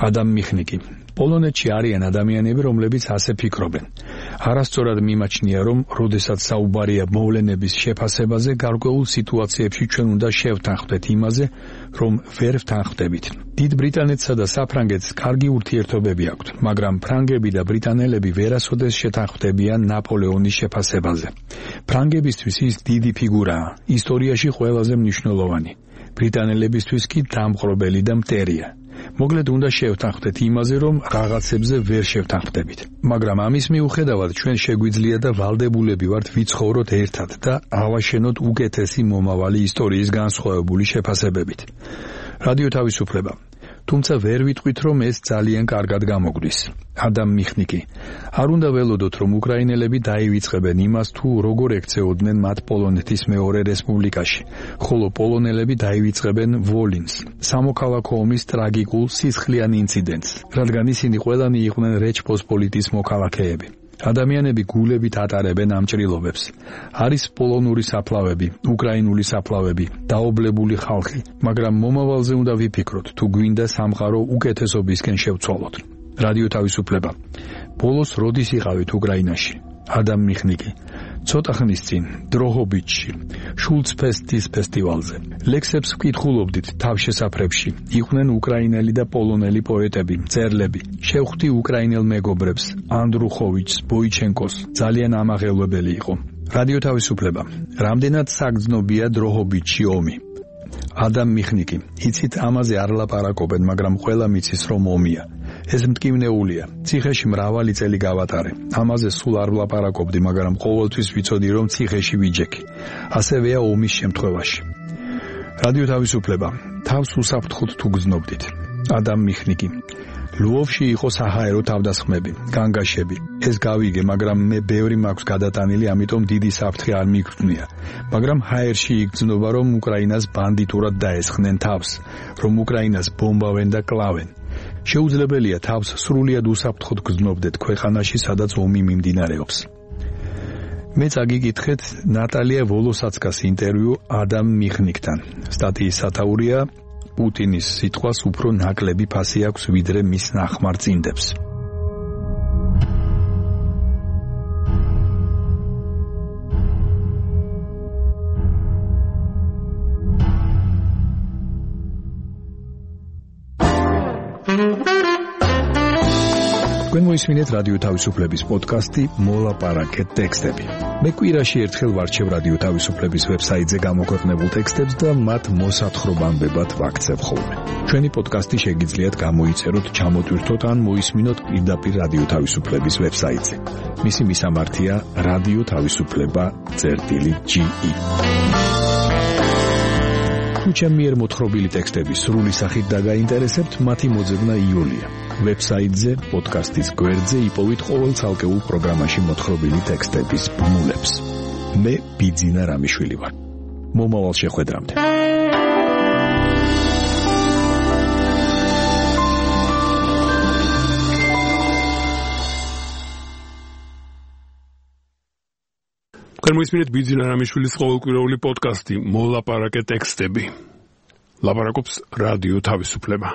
ადამ მიხნიკი. პოლონეთში არიან ადამიანები, რომლებიც ასე ფიქრობენ. არასწორად მიმაჩნია, რომ როდესაც საუბარია მოვლენების შეფასებაზე, გარკვეულ სიტუაციებში ჩვენ უნდა შევთანხმდეთ იმაზე, რომ ვერ ვთანხმდებით. დიდ ბრიტანეთსა და საფრანგეთს კარგი ურთიერთობები აქვთ, მაგრამ ფრანგები და ბრიტანელები ვერასოდეს შეთანხმდებიან ნაპოლეონის შეფასებაზე. ფრანგებისთვის ის დიდი ფიგურაა, ისტორიაში ყველაზე მნიშვნელოვანი. ბრიტანელებისთვის კი დამყრობელი და მტერია. მოკლედ უნდა შევთანხმდეთ იმაზე, რომ რაღაცებზე ვერ შევთანხმდებით. მაგრამ ამის მიუხედავად ჩვენ შეგვიძლია და ვალდებულები ვართ ვიცხოვროთ ერთად და ავაშენოთ უკეთესი მომავალი ისტორიის განსხვავებული შეფასებებით. რადიო თავისუფლება. თუმცა ვერ ვიტყვით, რომ ეს ძალიან კარგად გამოგვდის. ადამ მიხნიკი. არ უნდა ველოდოთ, რომ უკრაინელები დაივიწყებენ იმას, თუ როგორ ექცეოდნენ მათ პოლონეთის მეორე რესპუბლიკაში, ხოლო პოლონელები დაივიწყებენ ვოლინს, სამოქალაქო ომის ტრაგიკულ სისხლიან ინციდენტს, რადგან ისინი ყველანი იყვნენ რეჩპოსპოლიტის მოქალაქეები. ადამიანები გულებით ატარებენ ამ ჭრილობებს. არის პოლონური საფლავები, უკრაინული საფლავები, დაობლებული ხალხი, მაგრამ მომავალზე უნდა ვიფიქროთ, თუ გვინდა სამყარო უკეთესობისკენ შევცვალოთ. რადიო თავისუფლება. ბოლოს როდის იყავით უკრაინაში? ადამ მიხნიკი. ცოტა ხნის წინ, დროჰობიჩში, შულცფესტის ფესტივალზე. ლექსებს ვკითხულობდით თავშესაფრებში. იყვნენ უკრაინელი და პოლონელი პოეტები, მწერლები. შევხვდი უკრაინელ მეგობრებს, ანდრუხოვიჩს, ბოიჩენკოს. ძალიან ამაღელვებელი იყო. რადიო თავისუფლება. რამდენად საგრძნობია დროჰობიჩში ომი? ადამ მიხნიკი. იცით, ამაზე არ ლაპარაკობენ, მაგრამ ყველა მიცის, რომ ომია. ეს მტკივნეულია. ციხეში მრავალი წელი გავატარე. ამაზე სულ არ ვლაპარაკობდი, მაგრამ ყოველთვის ვიცოდი, რომ ციხეში ვიჯექი. ასევეა ომის შემთხვევაში. რადიო თავისუფლება. თავს უსაფრთხოდ თუ გრძნობდით. ადამ მიხნიკი. ლვოვში იყო საჰაერო თავდასხმები, განგაშები. ეს გავიგე, მაგრამ მე ბევრი მაქვს გადატანილი, ამიტომ დიდი საფრთხე არ მიგრძნია. მაგრამ ჰაერში იგრძნობა, რომ უკრაინას ბანდიტურად დაესხნენ თავს, რომ უკრაინას ბომბავენ და კლავენ. შეუძლებელია თავს სრულიად უსაფრთხოდ გრძნობდეთ ქვეყანაში, სადაც ომი მიმდინარეობს. მე წაგიკითხეთ ნატალია ვოლოსაცკას ინტერვიუ ადამ მიხნიკთან. სტატიის სათაურია პუტინის სიტყვას უფრო ნაკლები ფასი აქვს, ვიდრე მის ნახმარ წინდებს. თქვენ მოისმინეთ რადიო თავისუფლების პოდკასტი მოლაპარაკეთ ტექსტები. მე კვირაში ერთხელ ვარჩევ რადიო თავისუფლების ვებსაიტზე გამოქვეყნებულ ტექსტებს და მათ მოსათხრობამდებად ვაქცევ ხოლმე. ჩვენი პოდკასტი შეგიძლიათ გამოიწეროთ, ჩამოტვირთოთ ან მოისმინოთ პირდაპირ რადიო თავისუფლების ვებსაიტზე. მისი მისამართია რადიო თავისუფლება.ge. თუ ჩემი მიერ მოთხრობილი ტექსტები სრული სახით დაგაინტერესებთ, მათი მოძებნა იოლია. ვებსაიტზე, პოდკასტის გვერდზე იპოვით ყოველ ცალკეულ პროგრამაში მოთხრობილი ტექსტების ბმულებს. მე ბიძინა რამიშვილი ვარ. მომავალ შეხვედრამდე. თქვენ მოისმინეთ ბიძინა რამიშვილის ყოველკვირეული პოდკასტი მოლაპარაკე ტექსტები. ლაპარაკობს რადიო თავისუფლება.